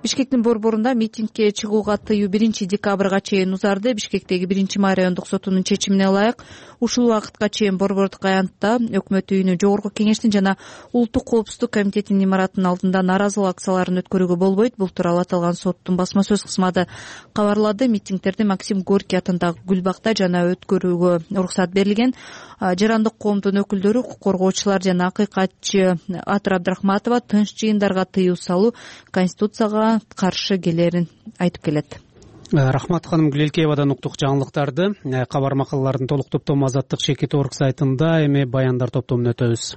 Speaker 4: Бишкектин борборунда митингге чыгууга тыюу 1-декабрга чейин узарды. Бишкектеги 1-май райондук сотунун чечимине ылайык ушул убакытка чейин борбордук аянтта өкмөт үйүнү, жогорку кеңештин жана улуттук коопсуздук комитетинин имаратынын алдында нааразылык акцияларын өткөрүүгө болбойт. Бул тууралуу аталган соттун басма сөз кызматы кабарлады. Митингдерди Максим Горький атындагы Гүлбакта жана өткөрүүгө уруксат берилген. Жарандык коомдун өкүлдөрү, укук коргоочулар жана акыйкатчы Атыр Абдрахматова тынч жыйындарга тыюу салуу Конституцияга каршы келерин айтып келет.
Speaker 1: Рахмат ханым, Гүлелкеевадан уктук жаңылыктарды. Кабар макалалардын толук топтому Азаттык Чекит Орг сайтында, эми баяндар топтомуна өтөбүз.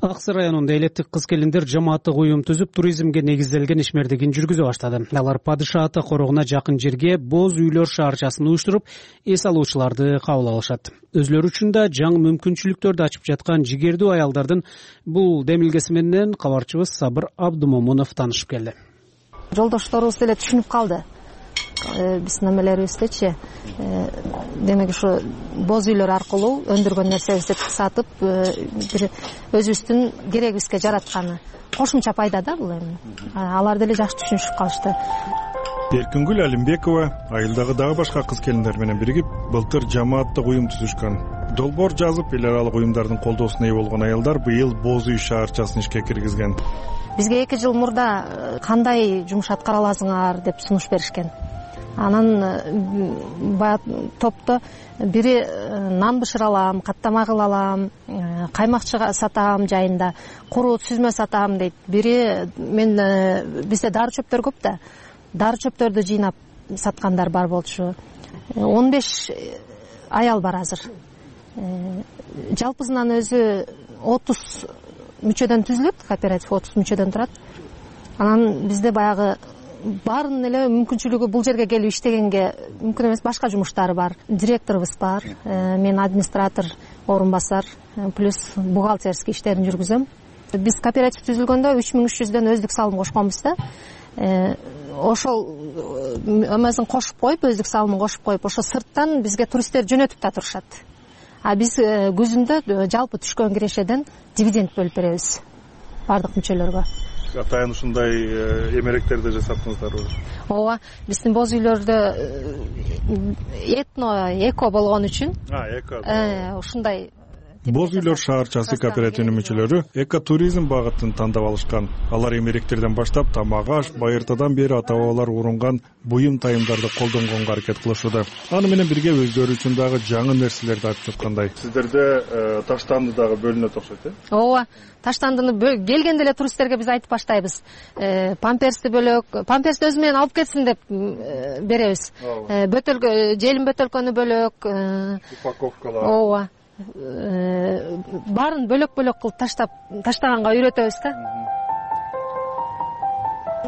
Speaker 1: Аксы районунда элеттик кыз-келиндер жамааттык уюм түзүп, туризмге негизделген ишмердигин жүргүзө баштады. Алар Падыша ата корогуна жакын жерге боз үйлөр шаарчасын уюштуруп, эс алуучуларды кабыл алышат. Өзлөрү үчүн да жаңы мүмкүнчүлүктөрдү ачып жаткан жигердүү аялдардын бул демилгеси менен кабарчыбыз Сабыр Абдымомунов таанышып келди.
Speaker 20: Жолдошторубуз деле түшүнүп калды. Биздин немелерибиздечи, демек ушу боз үйлөр аркылуу өндүргөн нерсебизди сатып, бир өзүбүздүн керегибизге жаратканы кошумча пайда да бул эми. Алар деле жакшы түшүнүшүп калышты.
Speaker 19: Эркингүл Алимбекова айылдагы дагы башка кыз-келиндер менен биригип, былтыр жамааттык уюм түзүшкөн. Долбоор жазып, эл аралык уюмдардын колдоосуна ээ болгон аялдар быйыл боз үй шаарчасын ишке киргизген.
Speaker 20: Бизге 2 жыл мурда кандай жумуш аткара аласыңар деп сунуш беришкен. Анан баягы топто бири нан бышыра алам, каттама кыла алам, каймак сатам жайында, куру сүзмө сатам дейт. Бири мен бизде дары чөптөр көп да. Дары чөптөрдү жыйнап саткандар бар болчу. 15 аял бар азыр. Жалпысынан өзү 30 мүчөдөн түзүлөт, кооператив 30 мүчөдөн турат. Анан бизде баягы баарын эле мүмкүнчүлүгү бул жерге келип иштегенге мүмкүн эмес башка жумуштары бар. Директорубуз бар, мен администратор, орун басар, плюс бухгалтерский иштерин жүргүзөм. Биз кооператив түзүлгөндө 3300дөн өздүк салым кошконбуз да. Ошол эмесин кошуп коюп, өздүк салымын кошуп коюп, ошо сырттан бизге туристтер жөнөтүп да турушат. А биз күзүндө жалпы түшкөн кирешеден дивиденд бөлүп беребиз бардык мүчөлөргө.
Speaker 19: Атайын ушундай эмеректерди жасаптыңыздарбы?
Speaker 20: Ооба, биздин боз үйлөрдө эко болгон үчүн.
Speaker 19: Эко.
Speaker 20: Ушундай
Speaker 19: Боз үйлөр шаарчасы кооперативинин мүчөлөрү экотуризм багытын тандап алышкан. Алар эмеректерден баштап тамак аш, байыртадан бери ата-бабалар урунган буюм тайымдарды колдонгонго аракет кылышууда. Аны менен бирге өздөрү үчүн дагы жаңы нерселерди ачып жаткандай. Сиздерде таштанды дагы бөлүнөт окшойт, э?
Speaker 20: Ооба, таштандыны келгенде эле туристтерге биз айтып баштайбыз. Памперсти бөлөк, памперсти өзү менен алып кетсин деп беребиз. Бөтөлкө, желим бөтөлкөнү бөлөк,
Speaker 19: упаковкалар.
Speaker 20: Ооба. Баарын бөлөк-бөлөк кылып таштаганга үйрөтөбүз да.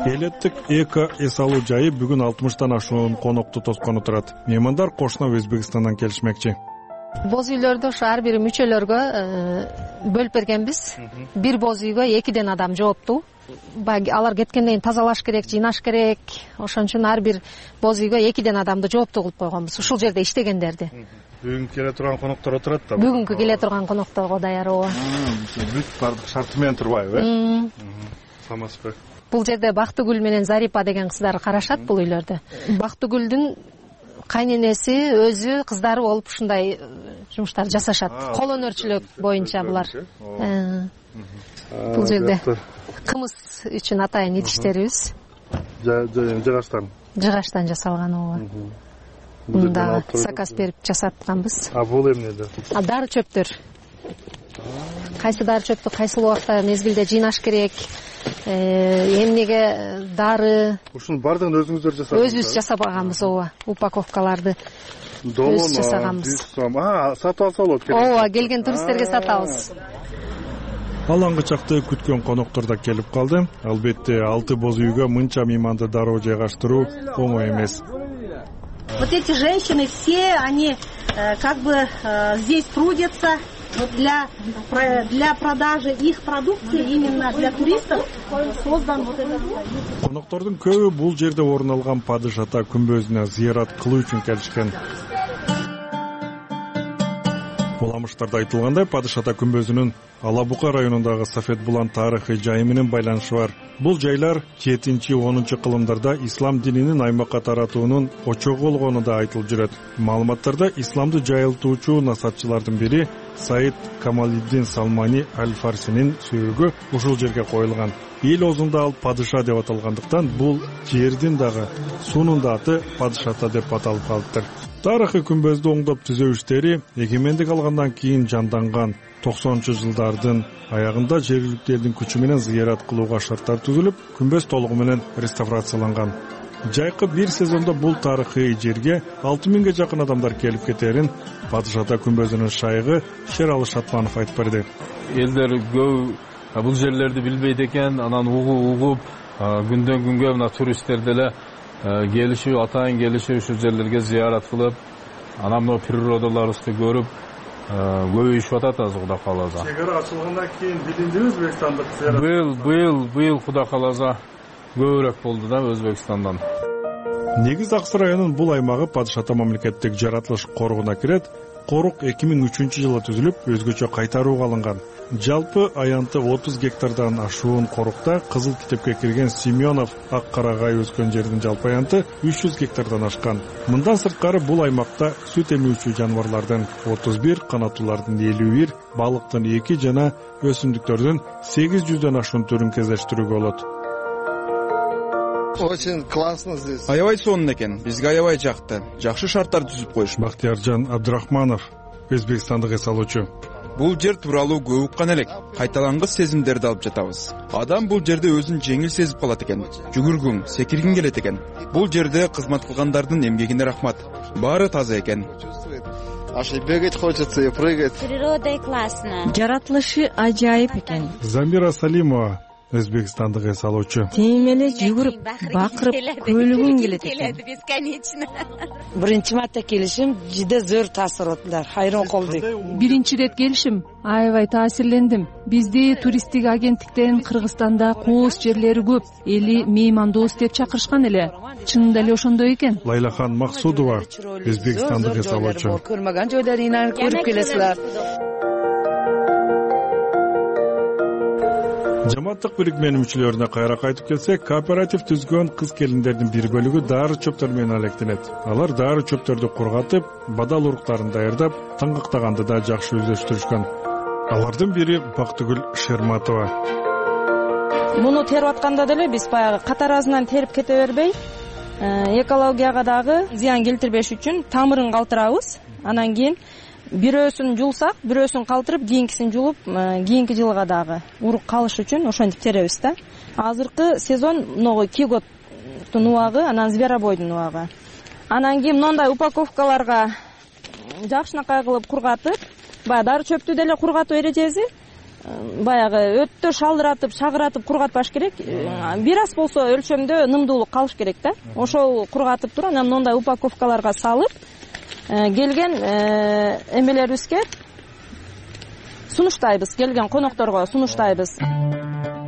Speaker 19: Элеттик эко эс алуу жайы бүгүн 60тан ашуун конокту тоскону турат. Меймандар кошуна Өзбекстандан келишмекчи.
Speaker 20: Боз үйлөрдү ошо ар бир мүчөлөргө бөлүп бергенбиз. Бир боз үйгө 2ден адам жооптуу. Алар кеткенден кийин тазалаш керек, жыйнаш керек. Ошон үчүн ар бир боз үйгө 2ден адамды жооптуу кылып койгонбуз. Ушул жерде иштегендерди.
Speaker 19: Бүгүнкү келе турган коноктор отурат да.
Speaker 20: Бүгүнкү келе турган конокторго даяр ооба.
Speaker 19: Бүт бардык шарты менен турбайбы, э? Самаспы.
Speaker 20: Бул жерде Бактыгүл менен Зарипа деген кыздар карашат бул үйлөрдө. Бактыгүлдүн кайненеси өзү кыздары болуп ушундай жумуштарды жасашат. Кол өнөрчүлүк боюнча булар. Бул жерде кымыз үчүн атайын идиштерибиз.
Speaker 19: Жыгачтан.
Speaker 20: Жыгачтан жасалган ооба. Мында заказ берип жасатканбыз.
Speaker 19: Бул эмнеде?
Speaker 20: Дары чөптөр. Кайсы дары чөптү кайсыл убакта мезгилде жыйнаш керек, эмнеге дары.
Speaker 19: Ушунун баардыгын өзүңүздөр жасадыңызбы?
Speaker 20: Өзүбүз жасабаганбыз ооба. Упаковкаларды өзүбүз жасаганбыз.
Speaker 19: Сатып алса болот.
Speaker 20: Ооба, келген туристтерге сатабыз.
Speaker 19: Алаңгы чакты күткөн коноктор да келип калды. Албетте 6 боз үйгө мынча мейманды дароо жайгаштыруу оңой эмес.
Speaker 8: Вот эти женщины все, они как бы здесь трудятся для продажи их продукции, именно для туристов создан вот этот.
Speaker 19: Коноктордун көбү бул жерде орун алган Падыш ата күмбөзүнө зыярат кылуу үчүн келишкен. Уламыштарда айтылгандай, Падыш ата күмбөзүнүн Алабука районундагы Сафет Булан тарыхый жайы менен байланышы бар. Бул жайлар 7-10 кылымдарда ислам дининин аймакка таратуунун очогу болгону да айтылып жүрөт. Маалыматтарда исламды жайылтуучу насатчылардын бири Саид Камалиддин Салмани Аль-Фарсинин сүйрүгү ушул жерге коюлган. Эл оозунда ал падыша деп аталгандыктан бул жердин дагы суунун да аты Падыш ата деп аталып калыптыр. Тарыхый күмбөздү оңдоп түзөө иштери эгемендик алгандан кийин жанданган. 90-жылдардын аягында жергиликтүү элдин күчү менен зыярат кылууга шарттар түзүлүп, күмбөз толугу менен реставрацияланган. Жайкы бир сезондо бул тарыхый жерге 6000ге жакын адамдар келип кетерин Падыш ата күмбөзүнүн шайыгы Шералы Шатманов айтып берди.
Speaker 22: Элдер көп бул жерлерди билбейт экен, анан угуп күндөн күнгө мына туристтер деле келишип, атайын келишип ушул жерлерге зыярат кылып, анан мына природаларыбызды көрүп көбөйүшүп атат азыр Кудай кааласа.
Speaker 19: Чек ара ачылгандан кийин билиндиби Өзбекстандык зыярат?
Speaker 22: Быйыл Кудай кааласа көбүрөөк болду да Өзбекстандан.
Speaker 19: Негиз Аксы районунун бул аймагы Падыш ата мамлекеттик жаратылыш коргуна кирет. Корук 2003-жылы түзүлүп, өзгөчө кайтарууга алынган. Жалпы аянты 30 гектардан ашуун корукта Кызыл китепке кирген Семенов ак карагай өскөн жердин жалпы аянты 300 гектардан ашкан. Мындан сырткары бул аймакта сүт эмүүчү жаныбарлардын 31, канаттуулардын 51, балыктын 2 жана өсүмдүктөрдүн 800дөн ашуун түрүн кездештирүүгө болот.
Speaker 23: Очень классно здесь. Аябай сонун экен. Бизге аябай жакты. Жакшы шарттар түзүп коюш.
Speaker 19: Бактияржан Абдрахманов, өзбекстандык эс алуучу.
Speaker 23: Бул жер тууралуу көп уккан элек. Кайталангыс сезимдерди алып жатабыз. Адам бул жерде өзүн жеңил сезип калат экен. Жүгүргүң, секиргиң келет экен. Бул жерде кызмат кылгандардын эмгегине рахмат. Баары таза экен. Аж и бегать хочется, и прыгать.
Speaker 24: Природа классная.
Speaker 6: Жаратылышы ажайып экен.
Speaker 19: Замира Салимова, өзбекстандык эс алуучу.
Speaker 6: Тем эле жүгүрүп, бакырып, көлүгүң келет экен.
Speaker 24: Бесконечно.
Speaker 25: Биринчи марта келишим жиде зор таасир болдулар. Хайран калдык.
Speaker 18: Биринчи ирет келишим аябай таасирлендим. Бизди туристтик агенттиктен Кыргызстанда кооз жерлери көп, эли меймандос деп чакырышкан эле. Чынында эле ошондой экен.
Speaker 19: Лайлахан Максудова, өзбекстандык эс алуучу.
Speaker 25: Көрмөгөн жерлерин көрүп келесилер.
Speaker 19: Жамааттык бирикменин мүчөлөрүнө кайра кайтып келсек, кооператив түзгөн кыз-келиндердин бир бөлүгү дары чөптөр менен алектенет. Алар дары чөптөрдү кургатып, бадал уруктарын даярдап, таңгактаганды да жакшы өздөштүрүшкөн. Алардын бири Бактыгүл Шерматова.
Speaker 2: Муну терип атканда деле биз баягы катаразынан терип кете бербей, экологияга дагы зыян келтирбеш үчүн тамырын калтырабыз. Анан кийин бирөөсүн жулсак, бирөөсүн калтырып, кийинкисин жулуп, кийинки жылга дагы урук калыш үчүн ошентип теребиз да. Азыркы сезон могу киготтун убагы, анан зверобойдун убагы. Анан кийин мындай упаковкаларга жакшынакай кылып кургатып, баягы дары чөптү деле кургатуу эрежеси баягы өтө шалдыратып, шагыратып кургатпаш керек. Бир аз болсо өлчөмдө нымдуулук калыш керек да. Ошол кургатып туруп, анан мындай упаковкаларга салып, келген эмелерибизге сунуштайбыз, келген конокторго сунуштайбыз.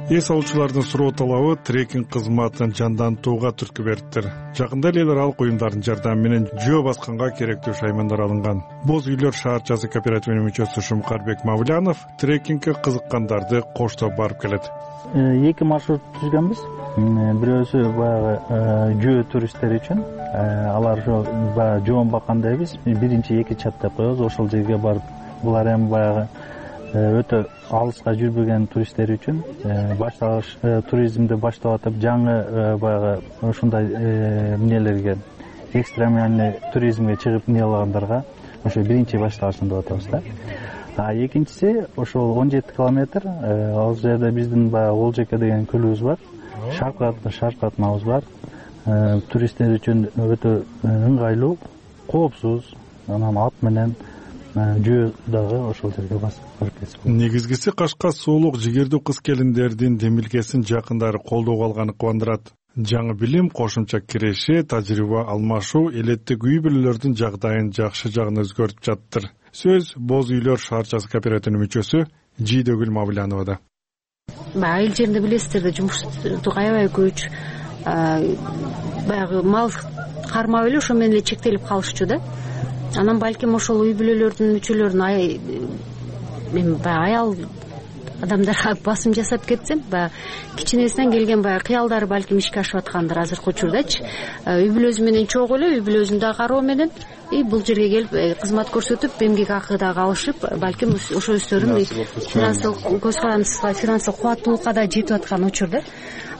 Speaker 19: Эс алуучулардын суроо талабы трекинг кызматын жандантууга түрткү бериптир. Жакында эле аралык уюмдардын жардамы менен жөө басканга керектүү шаймандар алынган. Боз үйлөр шаарчасы кооперативинин мүчөсү Шумкарбек Мавлянов трекингке кызыккандарды коштоп барып келет.
Speaker 3: Эки маршрут түзгөнбүз. Бирөөсү баягы жөө туристтер үчүн. Алар баягы жоон баккандайбыз. Биринчи эки чат деп коебуз. Ошол жерге барып, булар эми баягы өтө алыска жүрбөгөн туристтер үчүн баштагыч туризмди баштап атып, жаңы баягы ушундай эмнелерге, экстремальный туризмге чыгып эмне кылгандарга ошо биринчи баштагычын деп атабыз да. Экинчиси ошол 17 километр, ал жерде биздин баягы Олжеке деген көлүбүз бар. Шарк атмабыз бар. Туристтер үчүн өтө ыңгайлуу, коопсуз, анан ат менен жөө дагы ошол жерге барып кетип.
Speaker 19: Негизгиси Кашка суулук жигердүү кыз-келиндердин демилгесин жакындары колдоого алганы кубандырат. Жаңы билим, кошумча киреши, тажрыйба алмашуу элеттик үй бүлөлөрдүн жагдайын жакшы жагына өзгөртүп жаттыр. Сөз Боз үйлөр шаарчасы кооперативинин мүчөсү Жийдөгүл Мавляновада.
Speaker 7: Айыл жеринде билесиздер да жумуштук аябай көч, баягы мал кармап эле ошо менен эле чектелип калышчу да. Анан балким ошол үй бүлөлөрдүн мүчөлөрүн мен баягы аял адамдарга басым жасап кетсем, баягы кичинесинен келген баягы кыялдары балким ишке ашып аткандыр азыркы учурдачы. Үй бүлөсү менен чогуу эле үй бүлөсүн да кароо менен бул жерге келип кызмат көрсөтүп, эмгек акы дагы алышып, балким ошо өздөрүн финансылык көз карандысызга, финансылык кубаттуулукка да жетип аткан учур да.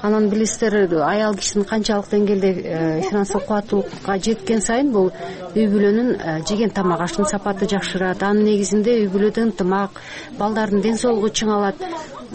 Speaker 7: Анан билесиздер, аял кишинин канчалык деңгээлде финансылык кубаттуулукка жеткен сайын бул үй бүлөнүн жеген тамак аштын сапаты жакшырат. Анын негизинде үй бүлөдө ынтымак, балдардын ден соолугу чыңалат.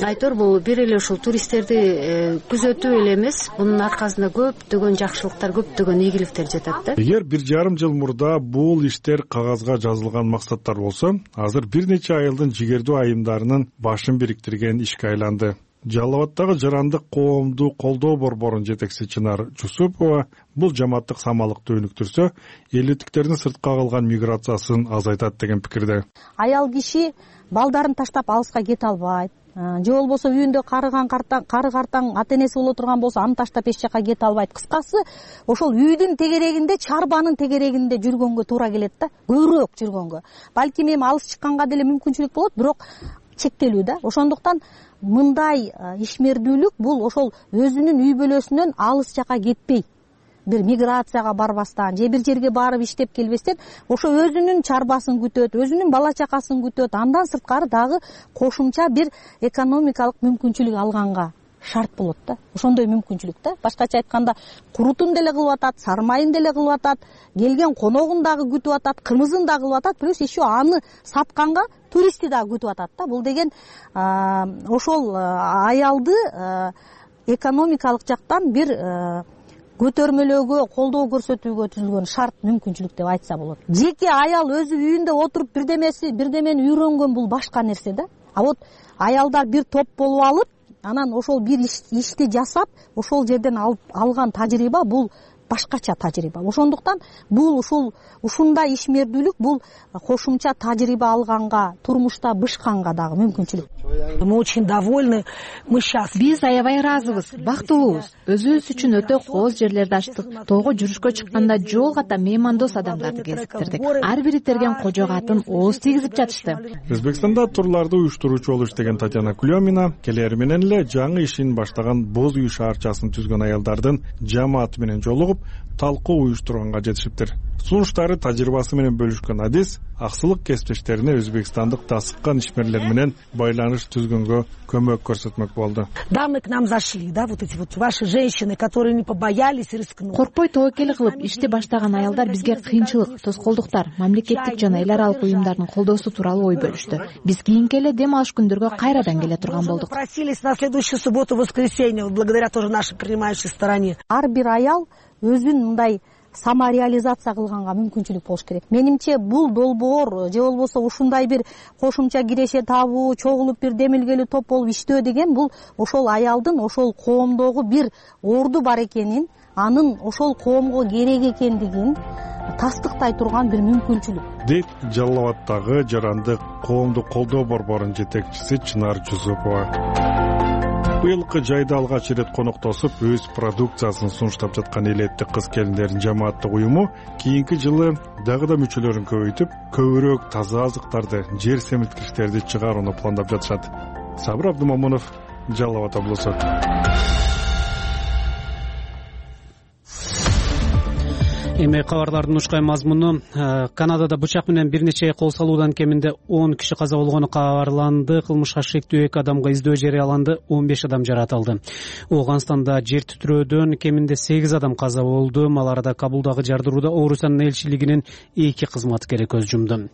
Speaker 7: Айтор бул бир эле ушул туристтерди күзөтүү эле эмес, мунун аркасында көптөгөн жакшылыктар, көптөгөн ийгиликтер жатат да.
Speaker 19: Эгер 1,5 жыл мурда бул иштер кагазга жазылган максаттар болсо, азыр бир нече айылдын жигердүү айымдарынын башын бириктирген ишке айланды. Жалал Абадтагы жарандык коомду колдоо борборунун жетекчиси Чынар Жусупова бул жамааттык самалыкты өнүктүрсө, элдиктердин сыртка калган миграциясын азайтат деген пикирде.
Speaker 9: Аял киши балдарын таштап алыска кете албайт. Же болбосо үйүндө кары картаң ата энеси боло турган болсо, аны таштап эч жака кете албайт. Кыскасы, ошол үйдүн тегерегинде, чарбанын тегерегинде жүргөнгө туура келет да, көбүрөөк жүргөнгө. Балким эми алыс чыкканга деле мүмкүнчүлүк болот, бирок чектелүү да. Ошондуктан мындай ишмердүүлүк бул ошол өзүнүн үй бүлөсүнөн алыс жака кетпей, бир миграцияга барбастан же бир жерге барып иштеп келбестен, ошо өзүнүн чарбасын күтөт, өзүнүн бала чакасын күтөт, андан сырткары дагы кошумча бир экономикалык мүмкүнчүлүк алганга шарт болот да. Ошондой мүмкүнчүлүк да. Башкача айтканда, курутун деле кылып атат, сармайын деле кылып атат, келген коногун дагы күтүп атат, кымызын дагы кылып атат, плюс еще аны сатканга туристти дагы күтүп атат да. Бул деген ошол аялды экономикалык жактан бир көтөрмөлөөгө, колдоо көрсөтүүгө түзүлгөн шарт, мүмкүнчүлүк деп айтса болот. Жеке аял өзү үйүндө отуруп бирдемени үйрөнгөн бул башка нерсе да. А вот аялдар бир топ болуп алып, анан ошол бир ишти жасап, ошол жерден алган тажрыйба бул башкача тажрыйба. Ошондуктан бул ушундай ишмердүүлүк бул кошумча тажрыйба алганга, турмушта бышканга дагы мүмкүнчүлүк.
Speaker 21: Мы очень довольны, мы счастливы.
Speaker 4: Биз аябай ыраазыбыз, бактылуубуз. Өзүбүз үчүн өтө кооз жерлерди ачтык. Тоого жүрүшкө чыкканда жол ката меймандос адамдарды кезиктирдик. Ар бири терген кожого атын ооз тийгизип жатышты.
Speaker 19: Өзбекстанда турларды уюштуруучу болуп иштеген Татьяна Кулемина келери менен эле жаңы ишин баштаган Боз үй шаарчасын түзгөн аялдардын жамааты менен жолугуп, талкуу уюштурганга жетишиптир. Сунуштары тажрыйбасы менен бөлүшкөн Адис аксылык кесиптештерине өзбекстандык тасыккан ишмерлер менен байланыш түзгөнгө көмөк көрсөтмөк болду.
Speaker 21: Дамы к нам зашли, да, вот эти вот ваши женщины, которые не побоялись и рискнули.
Speaker 4: Коркпой тобокел кылып ишти баштаган аялдар бизге кыйынчылык, тоскоолдуктар, мамлекеттик жана эл аралык уюмдардын колдоосу тууралуу ой бөлүштү. Биз кийинки эле дем алыш күндөргө кайрадан келе турган болдук.
Speaker 21: Просились на следующую субботу, воскресенье, благодаря тоже нашей принимающей стороне.
Speaker 9: Ар бир аял өзүн мындай самореализация кылганга мүмкүнчүлүк болуш керек. Менимче бул долбоор же болбосо ушундай бир кошумча киреше табуу, чогулуп бир демилгелүү топ болуп иштөө деген бул ошол аялдын ошол коомдогу бир орду бар экенин, анын ошол коомго керек экендигин тастыктай турган бир мүмкүнчүлүк.
Speaker 19: Дейт Жалал Абаддагы жарандык коомдук колдоо борборунун жетекчиси Чынар Жусупова. Быйылкы жайда алгач ирет коноктосуп өз продукциясын сунуштап жаткан элетти кыз-келиндердин жамааттык уюму кийинки жылы дагы да мүчөлөрүн көбөйтүп, көбүрөөк таза азыктарды, жер семирткичтерди чыгарууну пландап жатышат. Сабыр Абдымомунов, Жалал Абад облусу.
Speaker 1: Эми кабарлардын ушкай мазмуну. Канадада бычак менен бир нече кол салуудан кеминде 10 киши каза болгону кабарланды. Кылмышка шектүү 2 адамга издөө жарыяланды, 15 адам жаратылды. Ооганстанда жер титирөөдөн кеминде 8 адам каза болду. Ал арада Кабулдагы жардырууда Орусиянын элчилигинин 2 кызматкери көз жумду.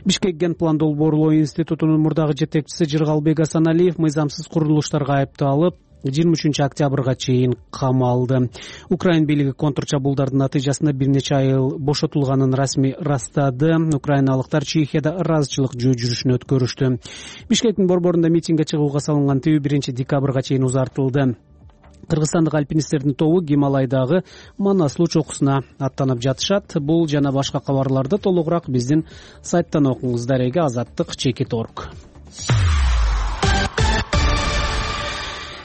Speaker 1: Бишкек Генплан долбоорлоо институтунун мурдагы жетекчиси Жыргалбек Асаналиев мыйзамсыз курулуштарга айыпталып 23-октябрга чейин камалды. Украин бийлиги контрчабуулдардын натыйжасында бир нече айыл бошотулганын расмий ырастады. Украиналыктар Чехияда ыраазычылык жөө жүрүшүн өткөрүштү. Бишкектин борборунда митингге чыгууга салынган тыюу 1-декабрга чейин узартылды. Кыргызстандык альпинисттердин тобу Гималайдагы Манаслуу чокусуна аттанып жатышат. Бул жана башка кабарларды толугураак биздин сайттан окуңуз. Дареге azattik.org.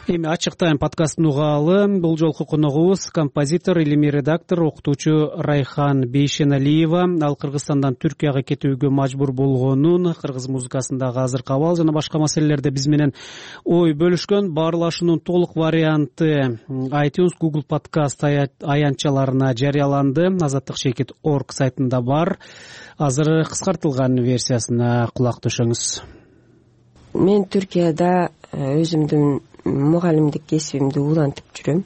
Speaker 1: Эми ачык тайм подкастын угаалы. Бул жолку коногубуз композитор, илимий редактор, окутуучу Райхан Бейшеналиева. Ал Кыргызстандан Түркияга кетүүгө мажбур болгонун, кыргыз музыкасындагы азыркы абал жана башка маселелерде биз менен ой бөлүшкөн. Баарлашуунун толук варианты iTunes, Google подкаст аянтчаларына жарыяланды. azattik.org сайтында бар. Азыр кыскартылган версиясына кулак төшөңүз.
Speaker 21: Мен Түркияда өзүмдүн мугалимдик кесибимди улантып жүрөм.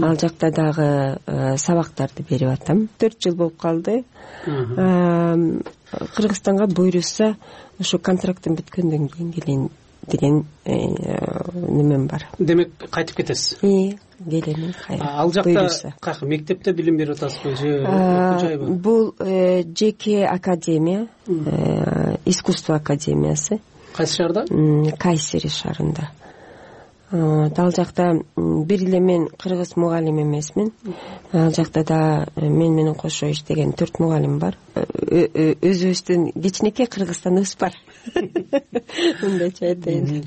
Speaker 21: Ал жакта дагы сабактарды берип атам. 4 жыл болуп калды. Кыргызстанга буйрушса, ошо контрактым бүткөндөн кийин келейин деген немем бар.
Speaker 1: Демек кайтып кетесиз?
Speaker 21: Келем.
Speaker 1: Ал жакта кайсы мектепте билим берип атасызбы же окуу жайбы?
Speaker 21: Бул жеке академия, искусство академиясы.
Speaker 1: Кайсы шаарда?
Speaker 21: Кайсери шаарында. Ал жакта бир эле мен кыргыз мугалим эмесмин. Ал жакта да мен менен кошо иштеген 4 мугалим бар. Өзүбүздүн кичинекей Кыргызстаныбыз бар. Мындайча айтайын.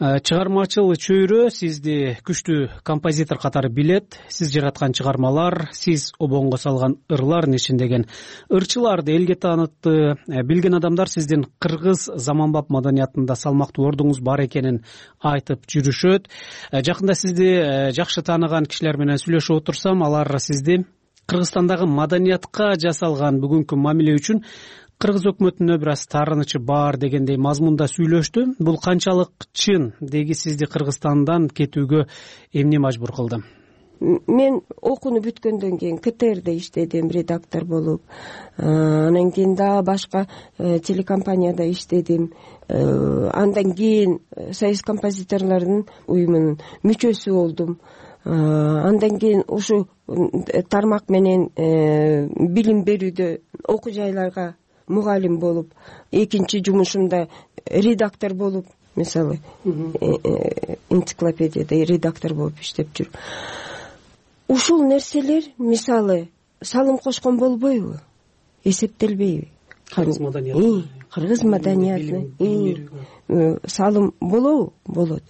Speaker 1: Чыгармачыл чөйрө сизди күчтүү композитор катары билет. Сиз жараткан чыгармалар, сиз обонго салган ырлардын ичиндеген ырчыларды элге таанытты. Билген адамдар сиздин кыргыз заманбап маданиятында салмактуу ордуңуз бар экенин айтып жүрүшөт. Жакында сизди жакшы тааныган кишилер менен сүйлөшүп отурсам, алар сизди Кыргызстандагы маданиятка жасалган бүгүнкү мамиле үчүн кыргыз өкмөтүнө бир аз таарынычы бар дегендей мазмунда сүйлөштү. Бул канчалык чын? Деги сизди Кыргызстандан кетүүгө эмне мажбур кылды?
Speaker 21: Мен окууну бүткөндөн кийин КТРде иштедим, редактор болуп. Анан кийин да башка телекомпанияда иштедим. Андан кийин Союз композиторлордун уюмунун мүчөсү болдум. Андан кийин ушу тармак менен билим берүүдө окуу жайларга мугалим болуп, экинчи жумушумда редактор болуп, мисалы, энциклопедияда редактор болуп иштеп жүрүп. Ушул нерселер, мисалы, салым кошкон болбойбу? Эсептелбейби? кыргыз маданиятына салым болот.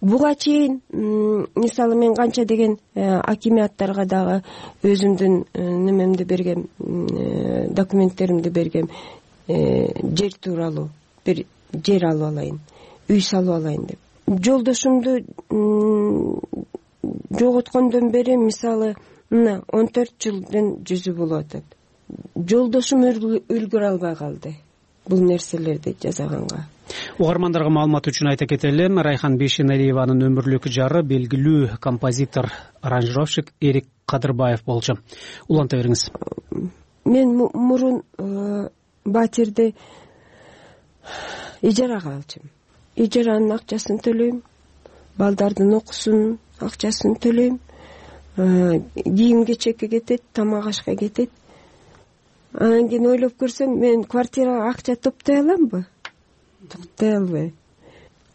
Speaker 21: Буга чейин мисалы мен канча деген акимияттарга дагы өзүмдүн немемди бергем, документтеримди бергем, жер тууралуу бир жер алып алайын, үй салып алайын деп. Жолдошумду жоготкондон бери мисалы мына 14 жылдын жүзү болуп атат. Жолдошум үлгүрө албай калды бул нерселерди жасаганга.
Speaker 1: Угармандарга маалымат үчүн айта кетелим, Райхан Бейшеналиеванын өмүрлүк жары белгилүү композитор, аранжировщик Эрик Кадырбаев болчу. Уланта бериңиз.
Speaker 21: Мен мурун батирди ижарага алчумун. Ижаранын акчасын төлөйм, балдардын окуусунун акчасын төлөйм, кийим-кечекке кетет, тамак ашка кетет. Анан кийин ойлоп көрсөм, мен квартирага акча топтой аламбы? Топтой албайм.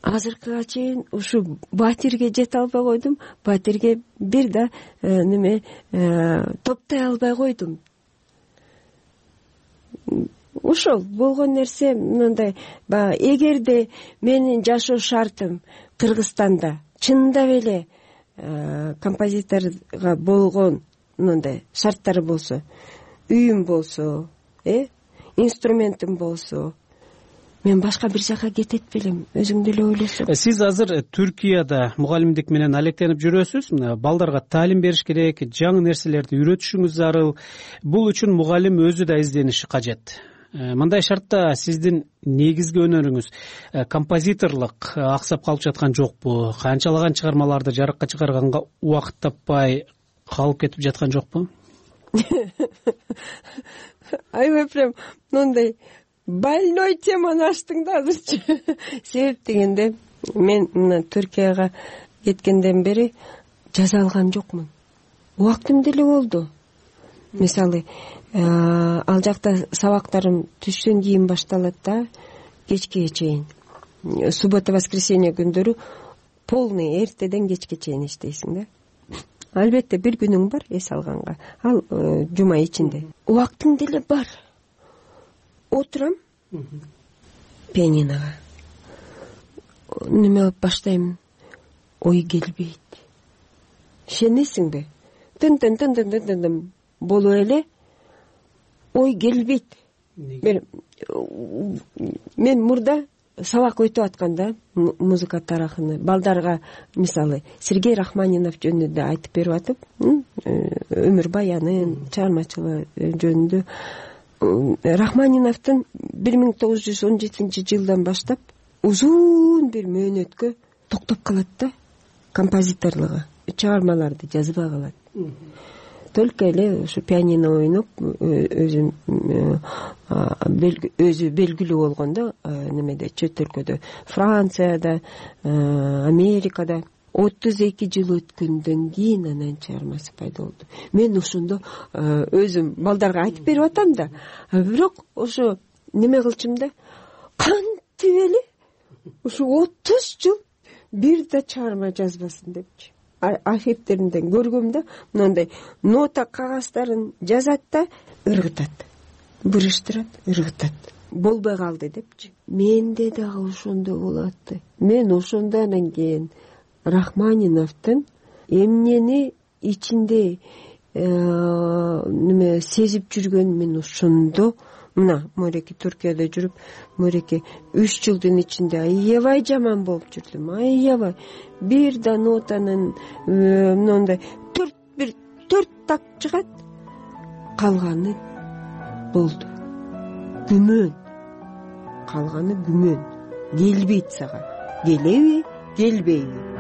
Speaker 21: Азыркыга чейин ушу батирге жете албай койдум, батирге бир да топтой албай койдум. Ошол болгон нерсе мындай, эгерде менин жашоо шартым Кыргызстанда чындап эле композиторго болгон мындай шарттары болсо, үйүм болсо, инструментим болсо, мен башка бир жака кетет белем, өзүң деле ойлосоң.
Speaker 1: Сиз азыр Түркияда мугалимдик менен алектенип жүрөсүз. Балдарга таалим бериш керек, жаңы нерселерди үйрөтүшүңүз зарыл. Бул үчүн мугалим өзү да издениши кажет. Мындай шартта сиздин негизги өнөрүңүз композиторлук аксап калып жаткан жокпу? Канчалаган чыгармаларды жарыкка чыгарганга убакыт таппай калып кетип жаткан жокпу?
Speaker 21: Аябай прям мындай больной теманы ачтың да азырчы. Себеп дегенде, мен мына Түркияга кеткенден бери жаза алган жокмун. Убактым деле болду. Мисалы, ал жакта сабактарым түштөн кийин башталат да, кечке чейин. Суббота, воскресенье күндөрү полный эртеден кечке чейин иштейсиң да. Албетте бир күнүң бар эс алганга. Ал жума ичинде. Убактың деле бар. Отурам пианинога. Неме алып баштайм, ой келбейт. Ишенесиңби? Тын болуп эле ой келбейт. Мен мурда сабак өтүп атканда музыка тарыхыны балдарга мисалы Сергей Рахманинов жөнүндө айтып берип атып, өмүр баянын, чыгармачылыгы жөнүндө Рахманиновдун 1917 жылдан баштап узун бир мөөнөткө токтоп калат да композиторлугу, чыгармаларды жазбай калат. Только эле ушу пианино ойноп өзү белгилүү болгондо немеде чөт өлкөдө, Францияда, Америкада 32 жыл өткөндөн кийин анан чыгармасы пайда болду. Мен ошондо өзүм балдарга айтып берип атам да, бирок ошо неме кылчым да, кантип эле ушу 30 жыл бир да чыгарма жазбасын депчи. Архивтеринден көргөм да, мындай нота кагаздарын жазат да, ыргытат, бурыштырат, ыргытат. Болбой калды депчи. Менде дагы ошондой болот. Мен ошондо анан кийин Рахманиновдун эмнени ичинде неме сезип жүргөн мен ошондо мына мореки Түркияда жүрүп, мореки 3 жылдын ичинде аябай жаман болуп жүрдүм. Аябай бир да нотанын мындай 4 так чыгат, калганы болду. Күмөн. Калганы күмөн. Келбейт сага. Келеби, келбейби?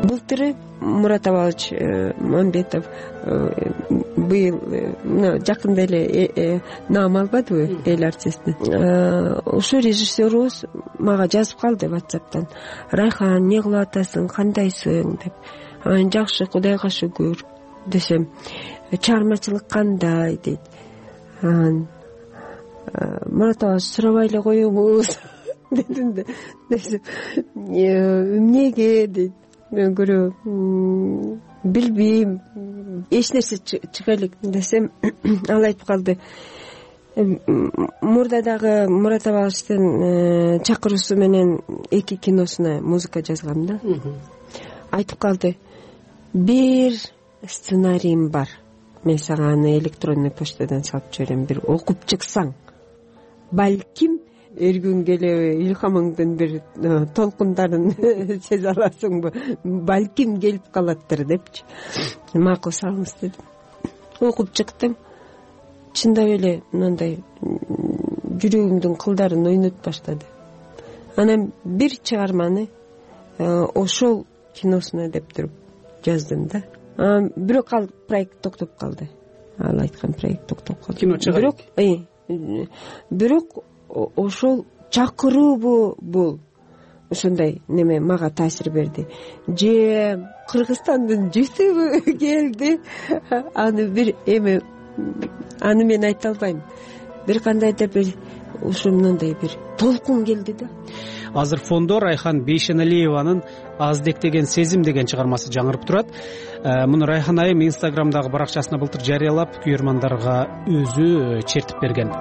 Speaker 21: Былтыры Мурат Абалович Мамбетов быйыл жакында эле наам албадыбы эл артисти. Ошо режиссерубуз мага жазып калды WhatsApp'тан. Райхан, эмне кылып атасың, кандайсың деп. Анан жакшы, Кудайга шүгүр десем, чыгармачылык кандай дейт. Анан Мурат Абалович сурабай эле коюңуз дедим да. Эмнеге дейт. көрө билбейм, эч нерсе чыга элек десем ал айтып калды. Мурда дагы Мурат Абаловичтин чакыруусу менен 2 киносуна музыка жазгам да. Айтып калды, бир сценарийим бар, мен сага аны электронный почтадан салып жиберем, бир окуп чыксаң, балким эр күн келе илхамыңдын бир толкундарын сезе аласыңбы, балким келип калаттыр депчи. Макул салыңыз дедим. Окуп чыктым. Чындап эле мындай жүрөгүмдүн кылдарын ойнотуп баштады. Анан бир чыгарманы ошол киносуна деп туруп жаздым да. Бирок ал проект токтоп калды. Ал айткан проект токтоп калды.
Speaker 1: Кино чыгат.
Speaker 21: Бирок ошол чакыруубу бул ошондой неме мага таасир берди. Же Кыргызстандын жүзүбү келди. Аны бир эме, аны мен айта албайм. Бир кандайдыр бир ушу мындай бир толкун келди да.
Speaker 1: Азыр фондо Райхан Бейшеналиеванын Аздек деген сезим деген чыгармасы жаңырып турат. Муну Райхан айым Инстаграмдагы баракчасына былтыр жарыялап, күйөрмандарга өзү чертип берген.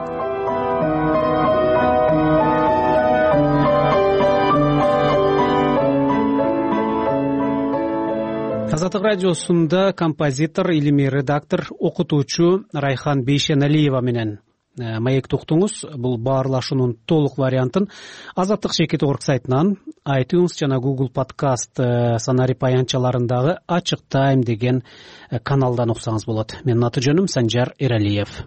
Speaker 1: Азаттык радиосунда композитор, илимий редактор, окутуучу Райхан Бейшеналиева менен маекти уктуңуз. Бул баарлашуунун толук вариантын Азаттык Шекет Орг сайтынан, iTunes жана Google Podcast санарип аянтчаларындагы Ачык Тайм деген каналдан уксаңыз болот. Менин аты жөнүм Санжар Эралиев.